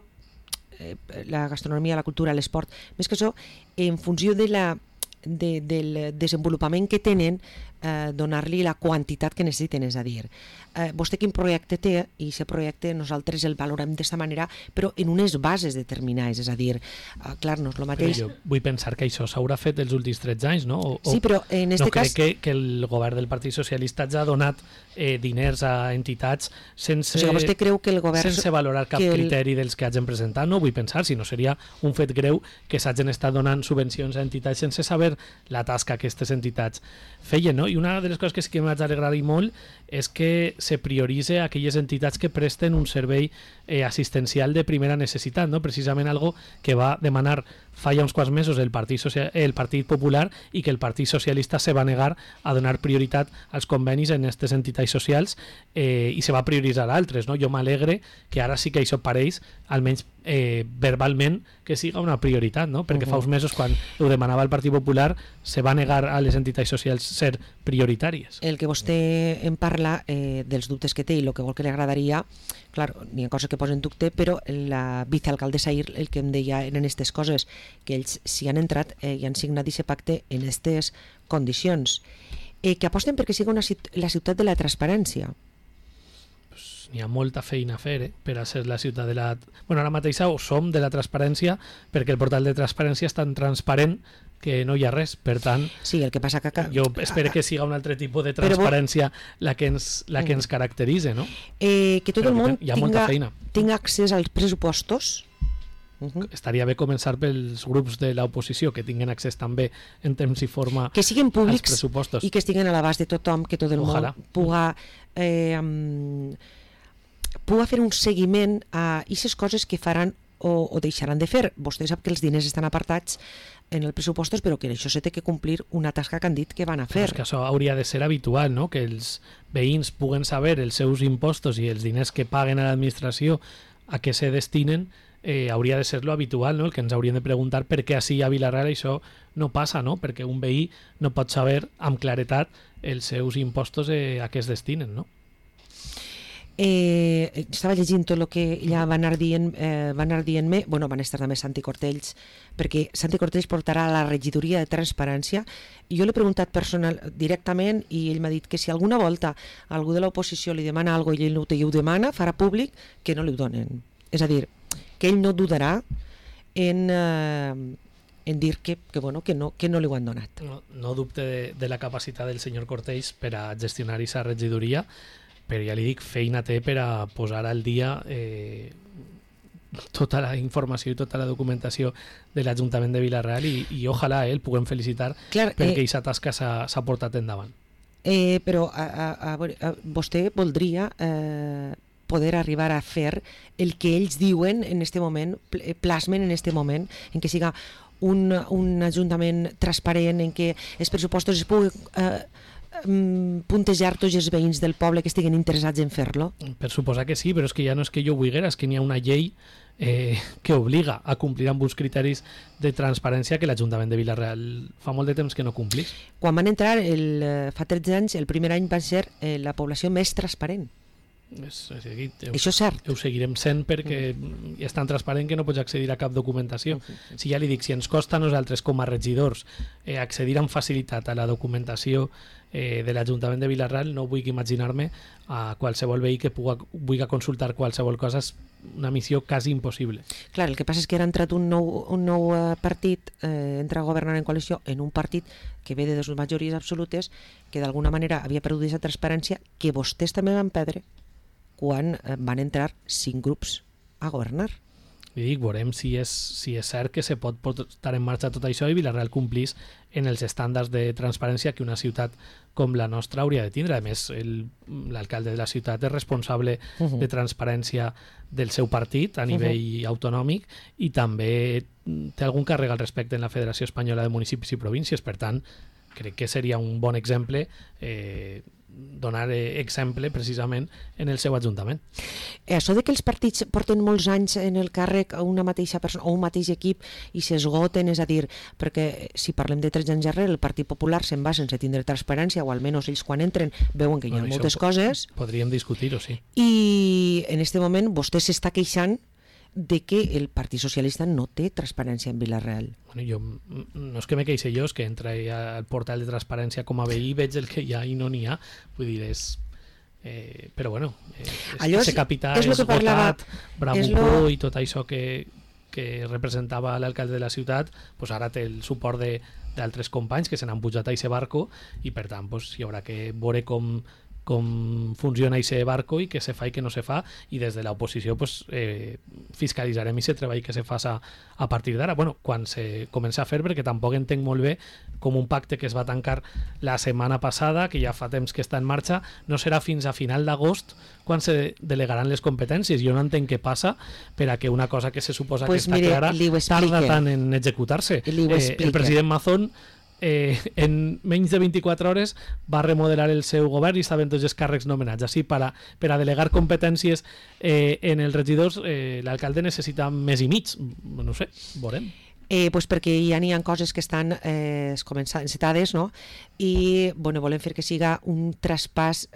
la gastronomia, la cultura, l'esport, més que això, en funció del desenvolupament que tenen, donar-li la quantitat que necessiten, és a dir, vostè quin projecte té, i aquest projecte nosaltres el valorem d'aquesta manera, però en unes bases determinades, és a dir, clar, no és el mateix. Però jo vull pensar que això s'haurà fet els últims 13 anys, no? Sí, però en aquest cas... No crec que el govern del Partit Socialista ja ha donat diners a entitats sense, o sigui, vostè creu que el govern... sense valorar cap criteri dels que hagin presentat. No vull pensar, si no seria un fet greu que s'hagin estat donant subvencions a entitats sense saber la tasca que aquestes entitats feien, no? I una de les coses que sí que m'haig d'alegrar molt és que se prioritza aquelles entitats que presten un servei assistencial de primera necessitat, no? Precisament algo que va demanar fa ja uns quants mesos el Partit Popular i que el Partit Socialista se va negar a donar prioritat als convenis en aquestes entitats socials i se va prioritzar altres, no? Jo m'alegre que ara sí que això pareix, almenys verbalment, que siga una prioritat, no? Perquè fa uns mesos, quan ho demanava el Partit Popular, se va negar a les entitats socials ser prioritàries. El que vostè en parla dels dubtes que té i el que vol que li agradaria, clar, n'hi ha coses que posen dubte, però la vicealcaldessa ahir el que em deia eren aquestes coses, que ells s'hi han entrat i han signat aquest pacte en aquestes condicions, que aposten perquè sigui la ciutat de la transparència. Pues n'hi ha molta feina a fer per a ser la ciutat de la... Bueno, ara mateix som de la transparència perquè el portal de transparència és tan transparent que no hi ha res, per tant... Sí, el que passa que... Jo espero que siga un altre tipus de transparència la que ens caracteritza, no? Que tot el món tinga accés als pressupostos. Estaria bé començar pels grups de l'oposició que tinguin accés també en temps i forma que siguin públics als pressupostos i que estiguen a l'abast de tothom, que tot el món puga fer un seguiment a aquestes coses que faran o deixaran de fer. Vostè sap que els diners estan apartats en els pressupostos, però que això s'ha de complir una tasca que han dit que van a fer. És que això hauria de ser habitual, no? Que els veïns puguen saber els seus impostos i els diners que paguen a l'administració a què se destinen. Hauria de ser lo habitual, no? El que ens haurien de preguntar per què així a Vila-real això no passa, no? Perquè un veí no pot saber amb claretat els seus impostos a què es destinen, no? Estava llegint tot el que ja van anar dient-me, bueno, van estar també Santi Cortells, perquè Santi Cortells portarà a la regidoria de transparència, i jo l'he preguntat directament i ell m'ha dit que si alguna volta algú de l'oposició li demana alguna cosa i ell no ho demana, farà públic que no li ho donen. És a dir, que ell no dudarà en dir que no li ho han donat. No dubte de la capacitat del senyor Cortells per a gestionar aquesta regidoria, però ja li dic, feina té per a posar al dia tota la informació i tota la documentació de l'Ajuntament de Vila-real i ojalà el puguem felicitar perquè aquesta tasca s'ha portat endavant. Però vostè voldria poder arribar a fer el que ells diuen en este moment, plasmen en este moment, en què siga un ajuntament transparent, en què els pressupostos es pugui puntejar tots els veïns del poble que estiguen interessats en fer-lo? Per suposar que sí, però és que ja no és que jo vulguera, és que n'hi ha una llei que obliga a complir amb uns criteris de transparència que l'Ajuntament de Vila-real fa molt de temps que no complís. Quan van entrar fa 13 anys, el primer any va ser la població més transparent. Això és cert. Ho seguirem sent perquè és tan transparent que no pots accedir a cap documentació. Si ja li dic, si ens costa a nosaltres com a regidors accedir amb facilitat a la documentació de l'Ajuntament de Vila-real, no vull imaginar-me a qualsevol veí que vulgui consultar qualsevol cosa. És una missió quasi impossible. Clar, el que passa és que ara ha entrat un nou partit, entra a governar en coalició en un partit que ve de dues majories absolutes, que d'alguna manera havia perdut aquesta transparència, que vostès també van perdre quan van entrar 5 grups a governar. Li dic, veurem si és cert que se pot posar en marxa tot això i Vila-real complís en els estàndards de transparència que una ciutat com la nostra hauria de tindre. A més, l'alcalde de la ciutat és responsable de transparència del seu partit a nivell autonòmic i també té algun càrrec al respecte en la Federació Espanyola de Municipis i Províncies. Per tant, crec que seria un bon exemple donar exemple precisament en el seu ajuntament. Això de que els partits porten molts anys en el càrrec una mateixa persona o un mateix equip i s'esgoten, és a dir, perquè si parlem de 13 anys darrere, el Partit Popular se'n va sense tindre transparència, o almenys ells quan entren veuen que hi ha moltes coses. Podríem discutir-ho, sí. I en aquest moment vostè s'està queixant de que el Partit Socialista no té transparència en Vila-real. Bueno, jo, no és que me queixi jo, és que entra al portal de transparència com a veí i veig el que hi ha i no n'hi ha. Vull dir, és... però bueno, ese capità és votat, bravucó i tot això que representava l'alcalde de la ciutat, pues ara té el suport d'altres companys que se n'han pujat a aquest barco i per tant pues, hi haurà que veure com funciona aquest barco i què se fa i què no se fa, i des de l'oposició pues, fiscalitzarem aquest treball que se fa a partir d'ara. Bueno, quan se comença a fer, perquè tampoc entenc molt bé com un pacte que es va tancar la setmana passada, que ja fa temps que està en marxa, no serà fins a final d'agost quan se delegaran les competències. Jo no entenc què passa per a que una cosa que se suposa que està clara tarda tant en executar-se. El president Mazón en menys de 24 hores va remodelar el seu govern i estaven tots els càrrecs nomenats. Així, per a delegar competències en els regidors, l'alcalde necessita més i mig. No sé, veurem. Pues perquè ja n'hi ha coses que estan encetades, no? I volem fer que siga un traspàs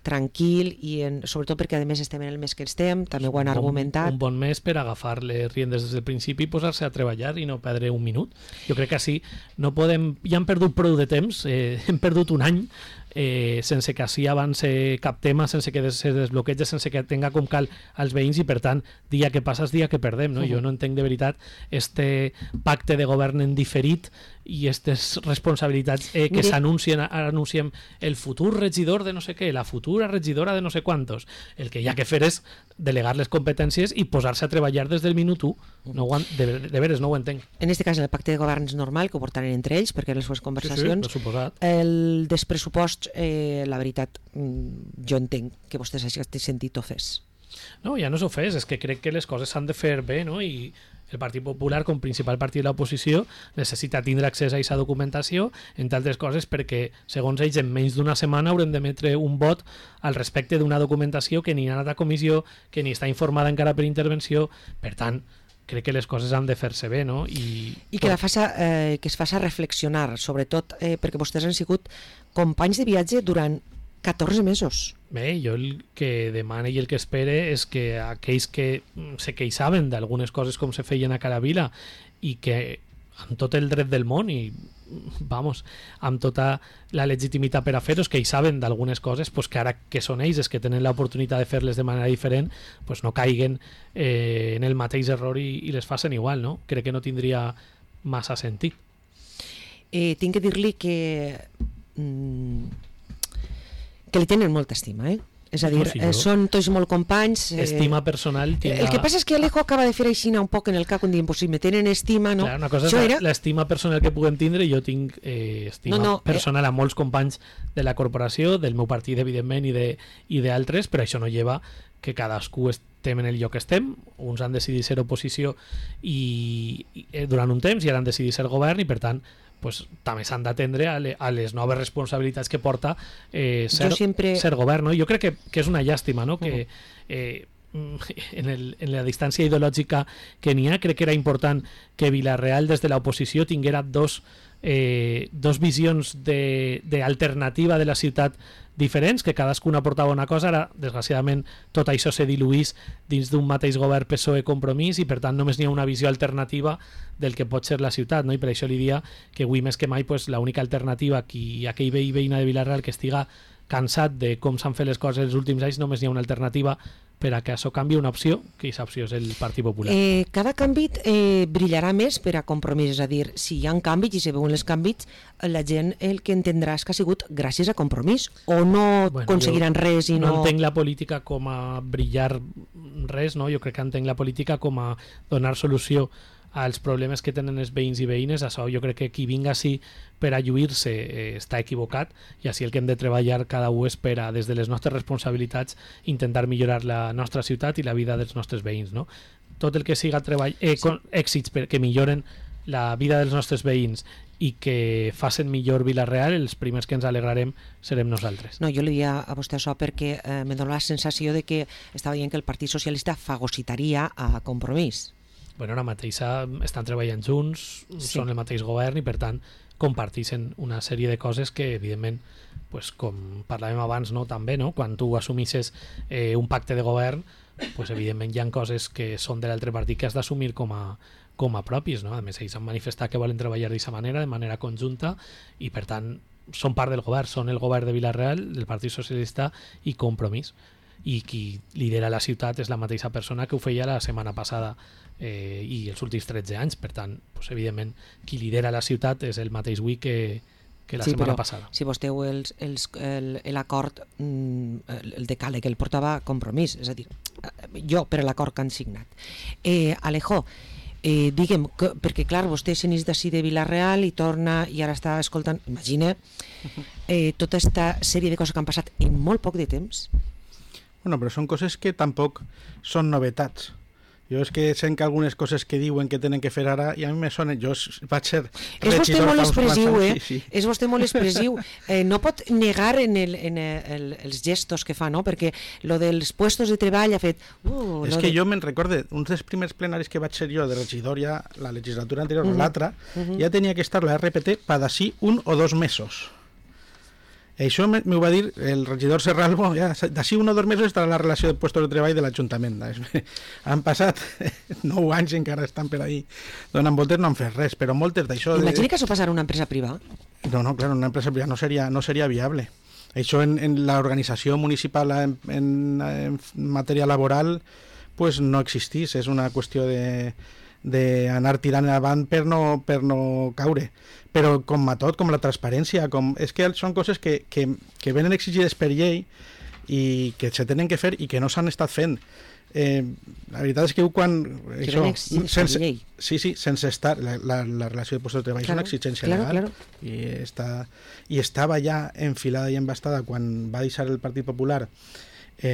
tranquil i sobretot perquè a més estem en el mes que estem, també ho han argumentat. Un bon mes per agafar les riendes des del principi i posar-se a treballar i no perdre un minut. Jo crec que així no podem... Ja hem perdut prou de temps, hem perdut un any sense que així avance cap tema, sense que se desbloqueja, sense que tenga com cal als veïns i per tant, dia que passa és dia que perdem, no? Jo no entenc de veritat este pacte de govern en diferit i aquestes responsabilitats que s'anuncien, ara anunciem el futur regidor de no sé què, la futura regidora de no sé quantos. El que hi ha que fer és delegar les competències i posar-se a treballar des del minut 1. De veres no ho entenc. En aquest cas el pacte de govern és normal, que ho portaran entre ells, perquè en les seves conversacions. Sí, suposat. El despressupost, la veritat, jo entenc que vostès hagin sentit ofès. No, ja no és ofès, és que crec que les coses s'han de fer bé, no? I el Partit Popular, com principal partit de l'oposició, necessita tindre accés a aquesta documentació, entre altres coses perquè, segons ells, en menys d'una setmana haurem d'emetre un vot al respecte d'una documentació que ni ha anat a comissió, que ni està informada encara per intervenció. Per tant, crec que les coses han de fer-se bé, no? I que es faci reflexionar, sobretot perquè vostès han sigut companys de viatge durant 14 mesos. Bé, jo el que demane i el que espere és que aquells que se queixaven d'algunes coses com se feien a Caravila i que amb tot el dret del món i amb tota la legitimitat per a fer-ho, que saben d'algunes coses, pues que ara que són ells que tenen l'oportunitat de fer-les de manera diferent, pues no caiguen en el mateix error i les facin igual, no? Crec que no tindria massa sentit. Tinc que dir-li que li tenen molta estima, És a dir, són tots molt companys. Estima personal. El que passa és que Alejo acaba de fer així un poc en el cap, dient, pues si me tenen estima, no? Clar, una cosa és l'estima personal que puguem tindre, jo tinc estima personal a molts companys de la corporació, del meu partit, evidentment, i d'altres, però això no lleva que cadascú estem en el lloc que estem. Uns han decidit ser oposició durant un temps i ara han decidit ser govern i, per tant, pues, també s'han d'atendre a les noves responsabilitats que porta ser govern, no? Jo crec que és una llàstima, no? Que en la distància ideològica que n'hi ha, crec que era important que Vila-real des de l'oposició tinguera dos visions d'alternativa de la ciutat diferents, que cadascuna portava una cosa. Ara, desgraciadament, tot això se diluís dins d'un mateix govern PSOE-Compromís i, per tant, només n'hi ha una visió alternativa del que pot ser la ciutat, no? I per això li dia que avui més que mai l'única alternativa, aquell veí veïna de Vila-real que estiga cansat de com s'han fet les coses els últims anys, només n'hi ha una alternativa per a que això canvi, una opció, que aquesta opció és el Partit Popular. Cada canvi brillarà més per a Compromís, és a dir, si hi ha canvis i se veuen els canvis, la gent el que entendrà és que ha sigut gràcies a Compromís, o no aconseguiran res i no... No entenc la política com a brillar res, no? Jo crec que entenc la política com a donar solució als problemes que tenen els veïns i veïnes. Això jo crec que qui vinga així per a lluir-se està equivocat, i així el que hem de treballar cada un és per a, des de les nostres responsabilitats, intentar millorar la nostra ciutat i la vida dels nostres veïns, no? Tot el que siga èxits que milloren la vida dels nostres veïns i que facin millor Vila-real, els primers que ens alegrarem serem nosaltres. No, jo li dia a vostè això perquè me dona la sensació de que estava dient que el Partit Socialista fagocitaria a Compromís. Bueno, ara mateix estan treballant junts, són el mateix govern i, per tant, comparteixen una sèrie de coses que, evidentment, pues, com parlàvem abans, no, també, no? Quan tu assumisses un pacte de govern, pues, evidentment hi ha coses que són de l'altre partit que has d'assumir com a propis, no? A més, ells han manifestat que volen treballar d'aquesta manera, de manera conjunta, i, per tant, són part del govern, són el govern de Vila-real, del Partit Socialista i Compromís. I qui lidera la ciutat és la mateixa persona que ho feia la setmana passada i els últims 13 anys. Per tant, pues, evidentment, qui lidera la ciutat és el mateix avui que la setmana passada. Si vostè veu l'acord, el decàleg, el portava Compromís, és a dir, jo per l'acord que han signat. Alejo, digue'm, perquè clar, vostè se n'és d'ací de Vila-real i torna i ara està escoltant, imagina, tota aquesta sèrie de coses que han passat en molt poc de temps. Bueno, però són coses que tampoc són novetats. Jo és que sent que algunes coses que diuen que tenen que fer ara, i a mi me sonen, jo vaig ser és vostè molt expressiu, sí. És vostè molt expressiu. No pot negar en els gestos que fa, no? Perquè lo dels puestos de treball ha fet... és que jo me'n recorde, uns dels primers plenaris que vaig ser jo de regidor, ja la legislatura anterior o l'altra, ja tenia que estar la RPT per d'ací 1 o 2 mesos. Això m'ho va dir el regidor Serralbo, ja, d'ací 1 o 2 mesos estarà la relació de puestos de treball de l'Ajuntament. Han passat 9 anys i encara estan per ahí donant voltes, no han fet res, però moltes d'això... Imagina que això passarà a una empresa privada. No, clar, una empresa privada no seria viable. Això en l'organització municipal en matèria laboral pues no existís, és una qüestió d'anar tirant avant per no caure. Però com a tot, com la transparència, és que són coses que venen exigides per llei i que se tenen que fer i que no s'han estat fent. La veritat és que quan... sense estar... La relació de puestos de treball és una exigència legal. I estava ja enfilada i embastada quan va deixar el Partit Popular va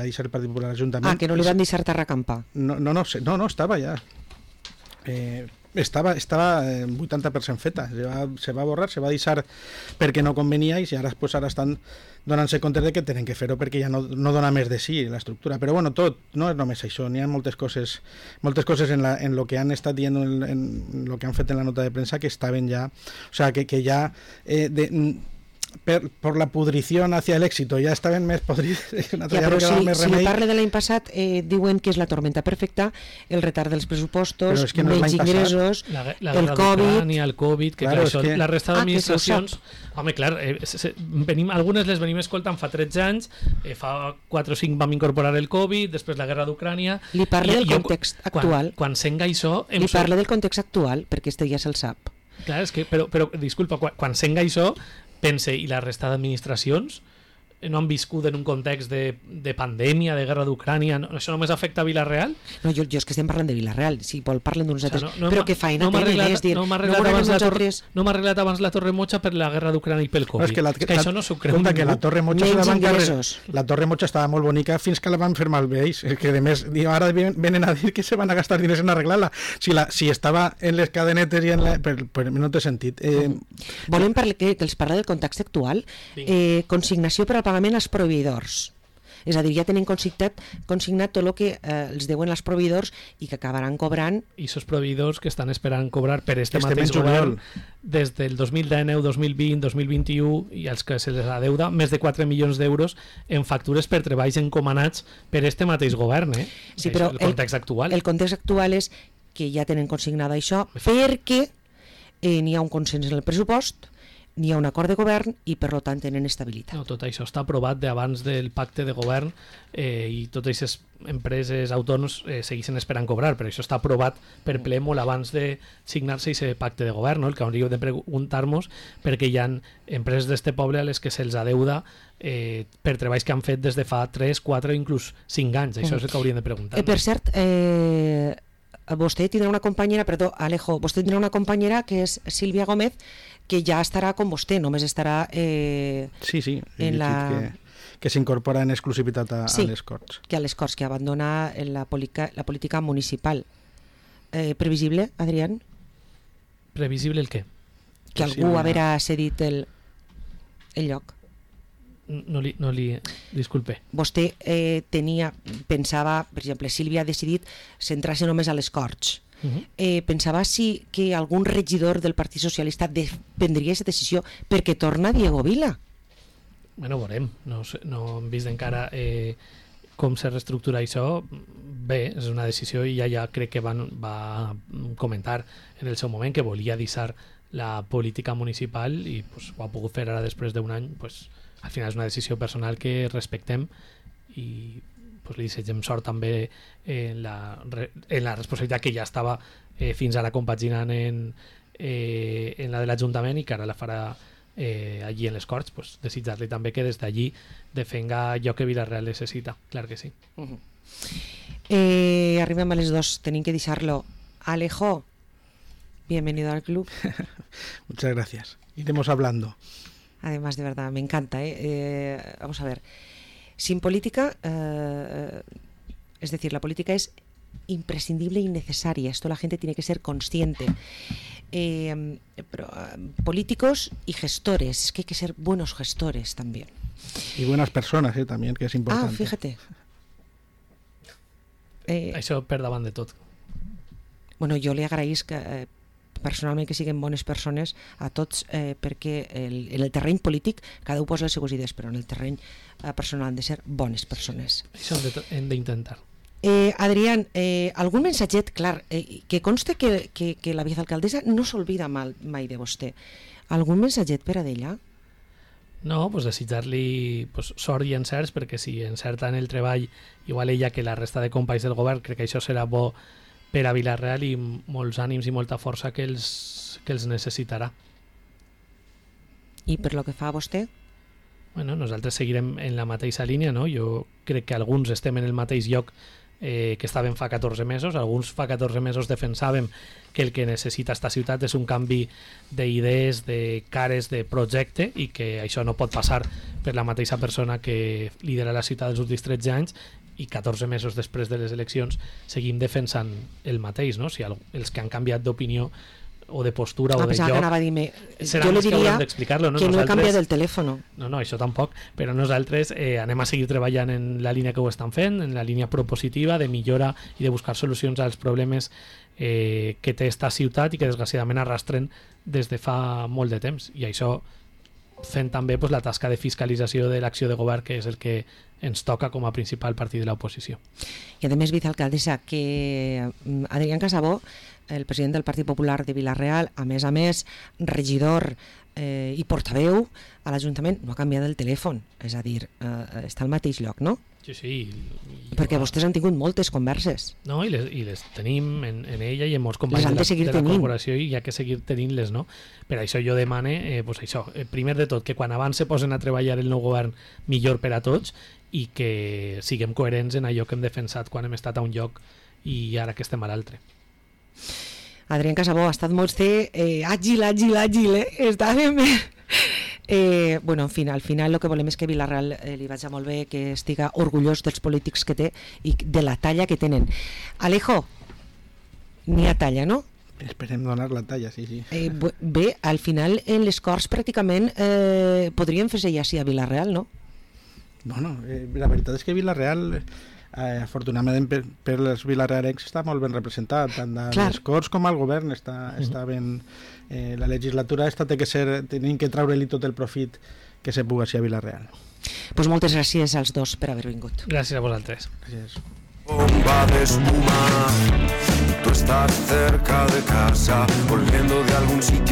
deixar el Partit Popular l'Ajuntament. Que no li van deixar terracampar. No, estava ja. Estava 80% feta, se va borrar, se va deixar perquè no convenia i ara estan donant-se compte de que tenen que fer-ho perquè ja no dona més de sí l'estructura. Però bueno, tot no és només això, n'hi ha moltes coses en lo que han estat dient, en lo que han fet en la nota de premsa que estaven ja, o sea, que ja por la pudrición hacia el éxito ja estaven més podrides. Però si parle de l'any passat, diuen que és la tormenta perfecta, el retard dels pressupostos, menys ingressos, el Covid, que clar, això, la resta d'administracions... Home, clar, algunes les venim escoltant fa 13 anys, fa 4 o 5 vam incorporar el Covid, després la guerra d'Ucrània... Li parle del context actual. Quan senga això... Li parle del context actual, perquè este ja se'l sap. Clar, és que, però disculpa, quan senga això, pense, i la resta d'administracions no han viscut en un context de pandèmia, de guerra d'Ucrània, això només afecta a Vila-real? No, jo és que estem parlant de Vila-real, si vol parlen d'uns altres, però que faena tenen, és dir, no m'ha arreglat abans la Torre Mocha per la guerra d'Ucrània i pel Covid. És que això no s'ho creu ningú. Que la Torre Mocha estava molt bonica fins que la van fer malbé, és que a més ara venen a dir que se van a gastar diners en arreglar-la, si estava en les cadenetes i per no té sentit. Volem que els parla del context actual, consignació per al pagament als proveïdors. És a dir, ja tenen consignat tot el que els deuen els proveïdors i que acabaran cobrant. I aquests proveïdors que estan esperant cobrar per este mateix govern des del 2019, 2020, 2021 i els que se les adeuda més de 4 milions d'euros en factures per treballs encomanats per este mateix govern. Sí, però el context actual. El context actual és que ja tenen consignada això perquè n'hi ha un consens en el pressupost, n'hi ha un acord de govern i per tant tenen estabilitat. No, tot això està aprovat d'abans del pacte de govern i totes aquestes empreses autònoms segueixen esperant cobrar, però això està aprovat per ple molt abans de signar-se aquest pacte de govern, no? El que hauríem de preguntar-nos perquè hi ha empreses d'este poble a les que se'ls adeuda per treballs que han fet des de fa 3, 4 inclús 5 anys. Això és el que hauríem de preguntar. Per cert, vostè tindrà una companyera, perdó, Alejo, vostè tindrà una companyera que és Sílvia Gómez, que ja estarà com vostè, només estarà sí, en la... que s'incorpora en exclusivitat a les Corts. Que a les Corts, que abandona la política municipal. Previsible, Adrián? Previsible el què? Que algú haurà cedit el lloc. No li disculpe. Vostè pensava, per exemple, Sílvia ha decidit centrar-se només a les Corts. Pensava que algun regidor del Partit Socialista prendria aquesta decisió perquè torna Diego Vila. Bueno, veurem. No hem vist encara com se reestructura això. Bé, és una decisió i ja crec que va comentar en el seu moment que volia deixar la política municipal i pues, ho ha pogut fer ara després d'un any. Pues, al final és una decisió personal que respectem i pues, li desitgem sort també en la responsabilitat que ja estava fins ara compaginant en la de l'Ajuntament i que ara la farà allí en les Corts. Pues, desitjar-li també que des d'allí defenga allò que Vila-real necessita, clar que sí. Arribem a les 2, tenim que deixar-lo. Alejo, bienvenido al club. Muchas gracias, iremos hablando. Además, de verdad, me encanta. Vamos a ver. Sin política, es decir, la política es imprescindible y necesaria. Esto la gente tiene que ser consciente. Políticos y gestores. Es que hay que ser buenos gestores también. Y buenas personas, también, que es importante. Fíjate. Això per davant de tot. Bueno, jo li agraïsc personalment que siguin bones persones a tots, perquè en el terreny polític cada un posa les seues idees, però en el terreny personal han de ser bones persones. Això hem d'intentar. Adrián, algun mensatget, clar, que conste que la vicealcaldessa no s'olvida mai de vostè. Algun mensatget per a d'ella? No, pues desitjar-li sort i encerts, perquè si encerta en el treball igual ella que la resta de companys del govern, crec que això serà bo per a Vila-real i molts ànims i molta força que els necessitarà. I per lo que fa a vostè? Bueno, nosaltres seguirem en la mateixa línia, no? Jo crec que alguns estem en el mateix lloc que estàvem fa 14 mesos. Alguns fa 14 mesos defensàvem que el que necessita esta ciutat és un canvi d'idees, de cares, de projecte i que això no pot passar per la mateixa persona que lidera la ciutat dels últims 13 anys i 14 mesos després de les eleccions seguim defensant el mateix, no? Si els que han canviat d'opinió o de postura o de lloc jo li diria que no he canviat el telèfon. No, això tampoc, però nosaltres anem a seguir treballant en la línia que ho estan fent, en la línia propositiva de millora i de buscar solucions als problemes que té esta ciutat i que desgraciadament arrastren des de fa molt de temps, i això fent també la tasca de fiscalització de l'acció de govern, que és el que ens toca com a principal partit de l'oposició. I a més, vicealcaldessa, que Adrián Casabó, el president del Partit Popular de Vila-real, a més, regidor i portaveu a l'Ajuntament, no ha canviat el telèfon, és a dir, està al mateix lloc, no? Sí. Perquè vostès han tingut moltes converses. No, i les tenim en ella i en molts companys de la corporació, i hi ha que seguir tenint-les, no? Per això jo demane, primer de tot, que quan abans se posen a treballar el nou govern millor per a tots i que siguem coherents en allò que hem defensat quan hem estat a un lloc i ara que estem a l'altre. Adrián Casabó ha estat molt àgil, està ben bé. Bueno, en fi, al final el que volem és que Vila-real li vagi molt bé, que estiga orgullós dels polítics que té i de la talla que tenen. Alejo, n'hi ha talla, no? Esperem donar la talla, sí. Bé, al final en les Corts pràcticament podríem fer-se ja així a Vila-real, no? Bueno, la veritat és que Vila-real, afortunadament per els vilarealencs, està molt ben representat, tant a les Corts com al govern està ben... la legislatura esta té que ser, tenim que treure-li tot el profit que se puga ser a Vila-real. Pues moltes gràcies als dos per haver vingut. Gràcies a vosaltres. Gràcies. Bomba de espuma, tú estás cerca de casa, volviendo de algún sitio.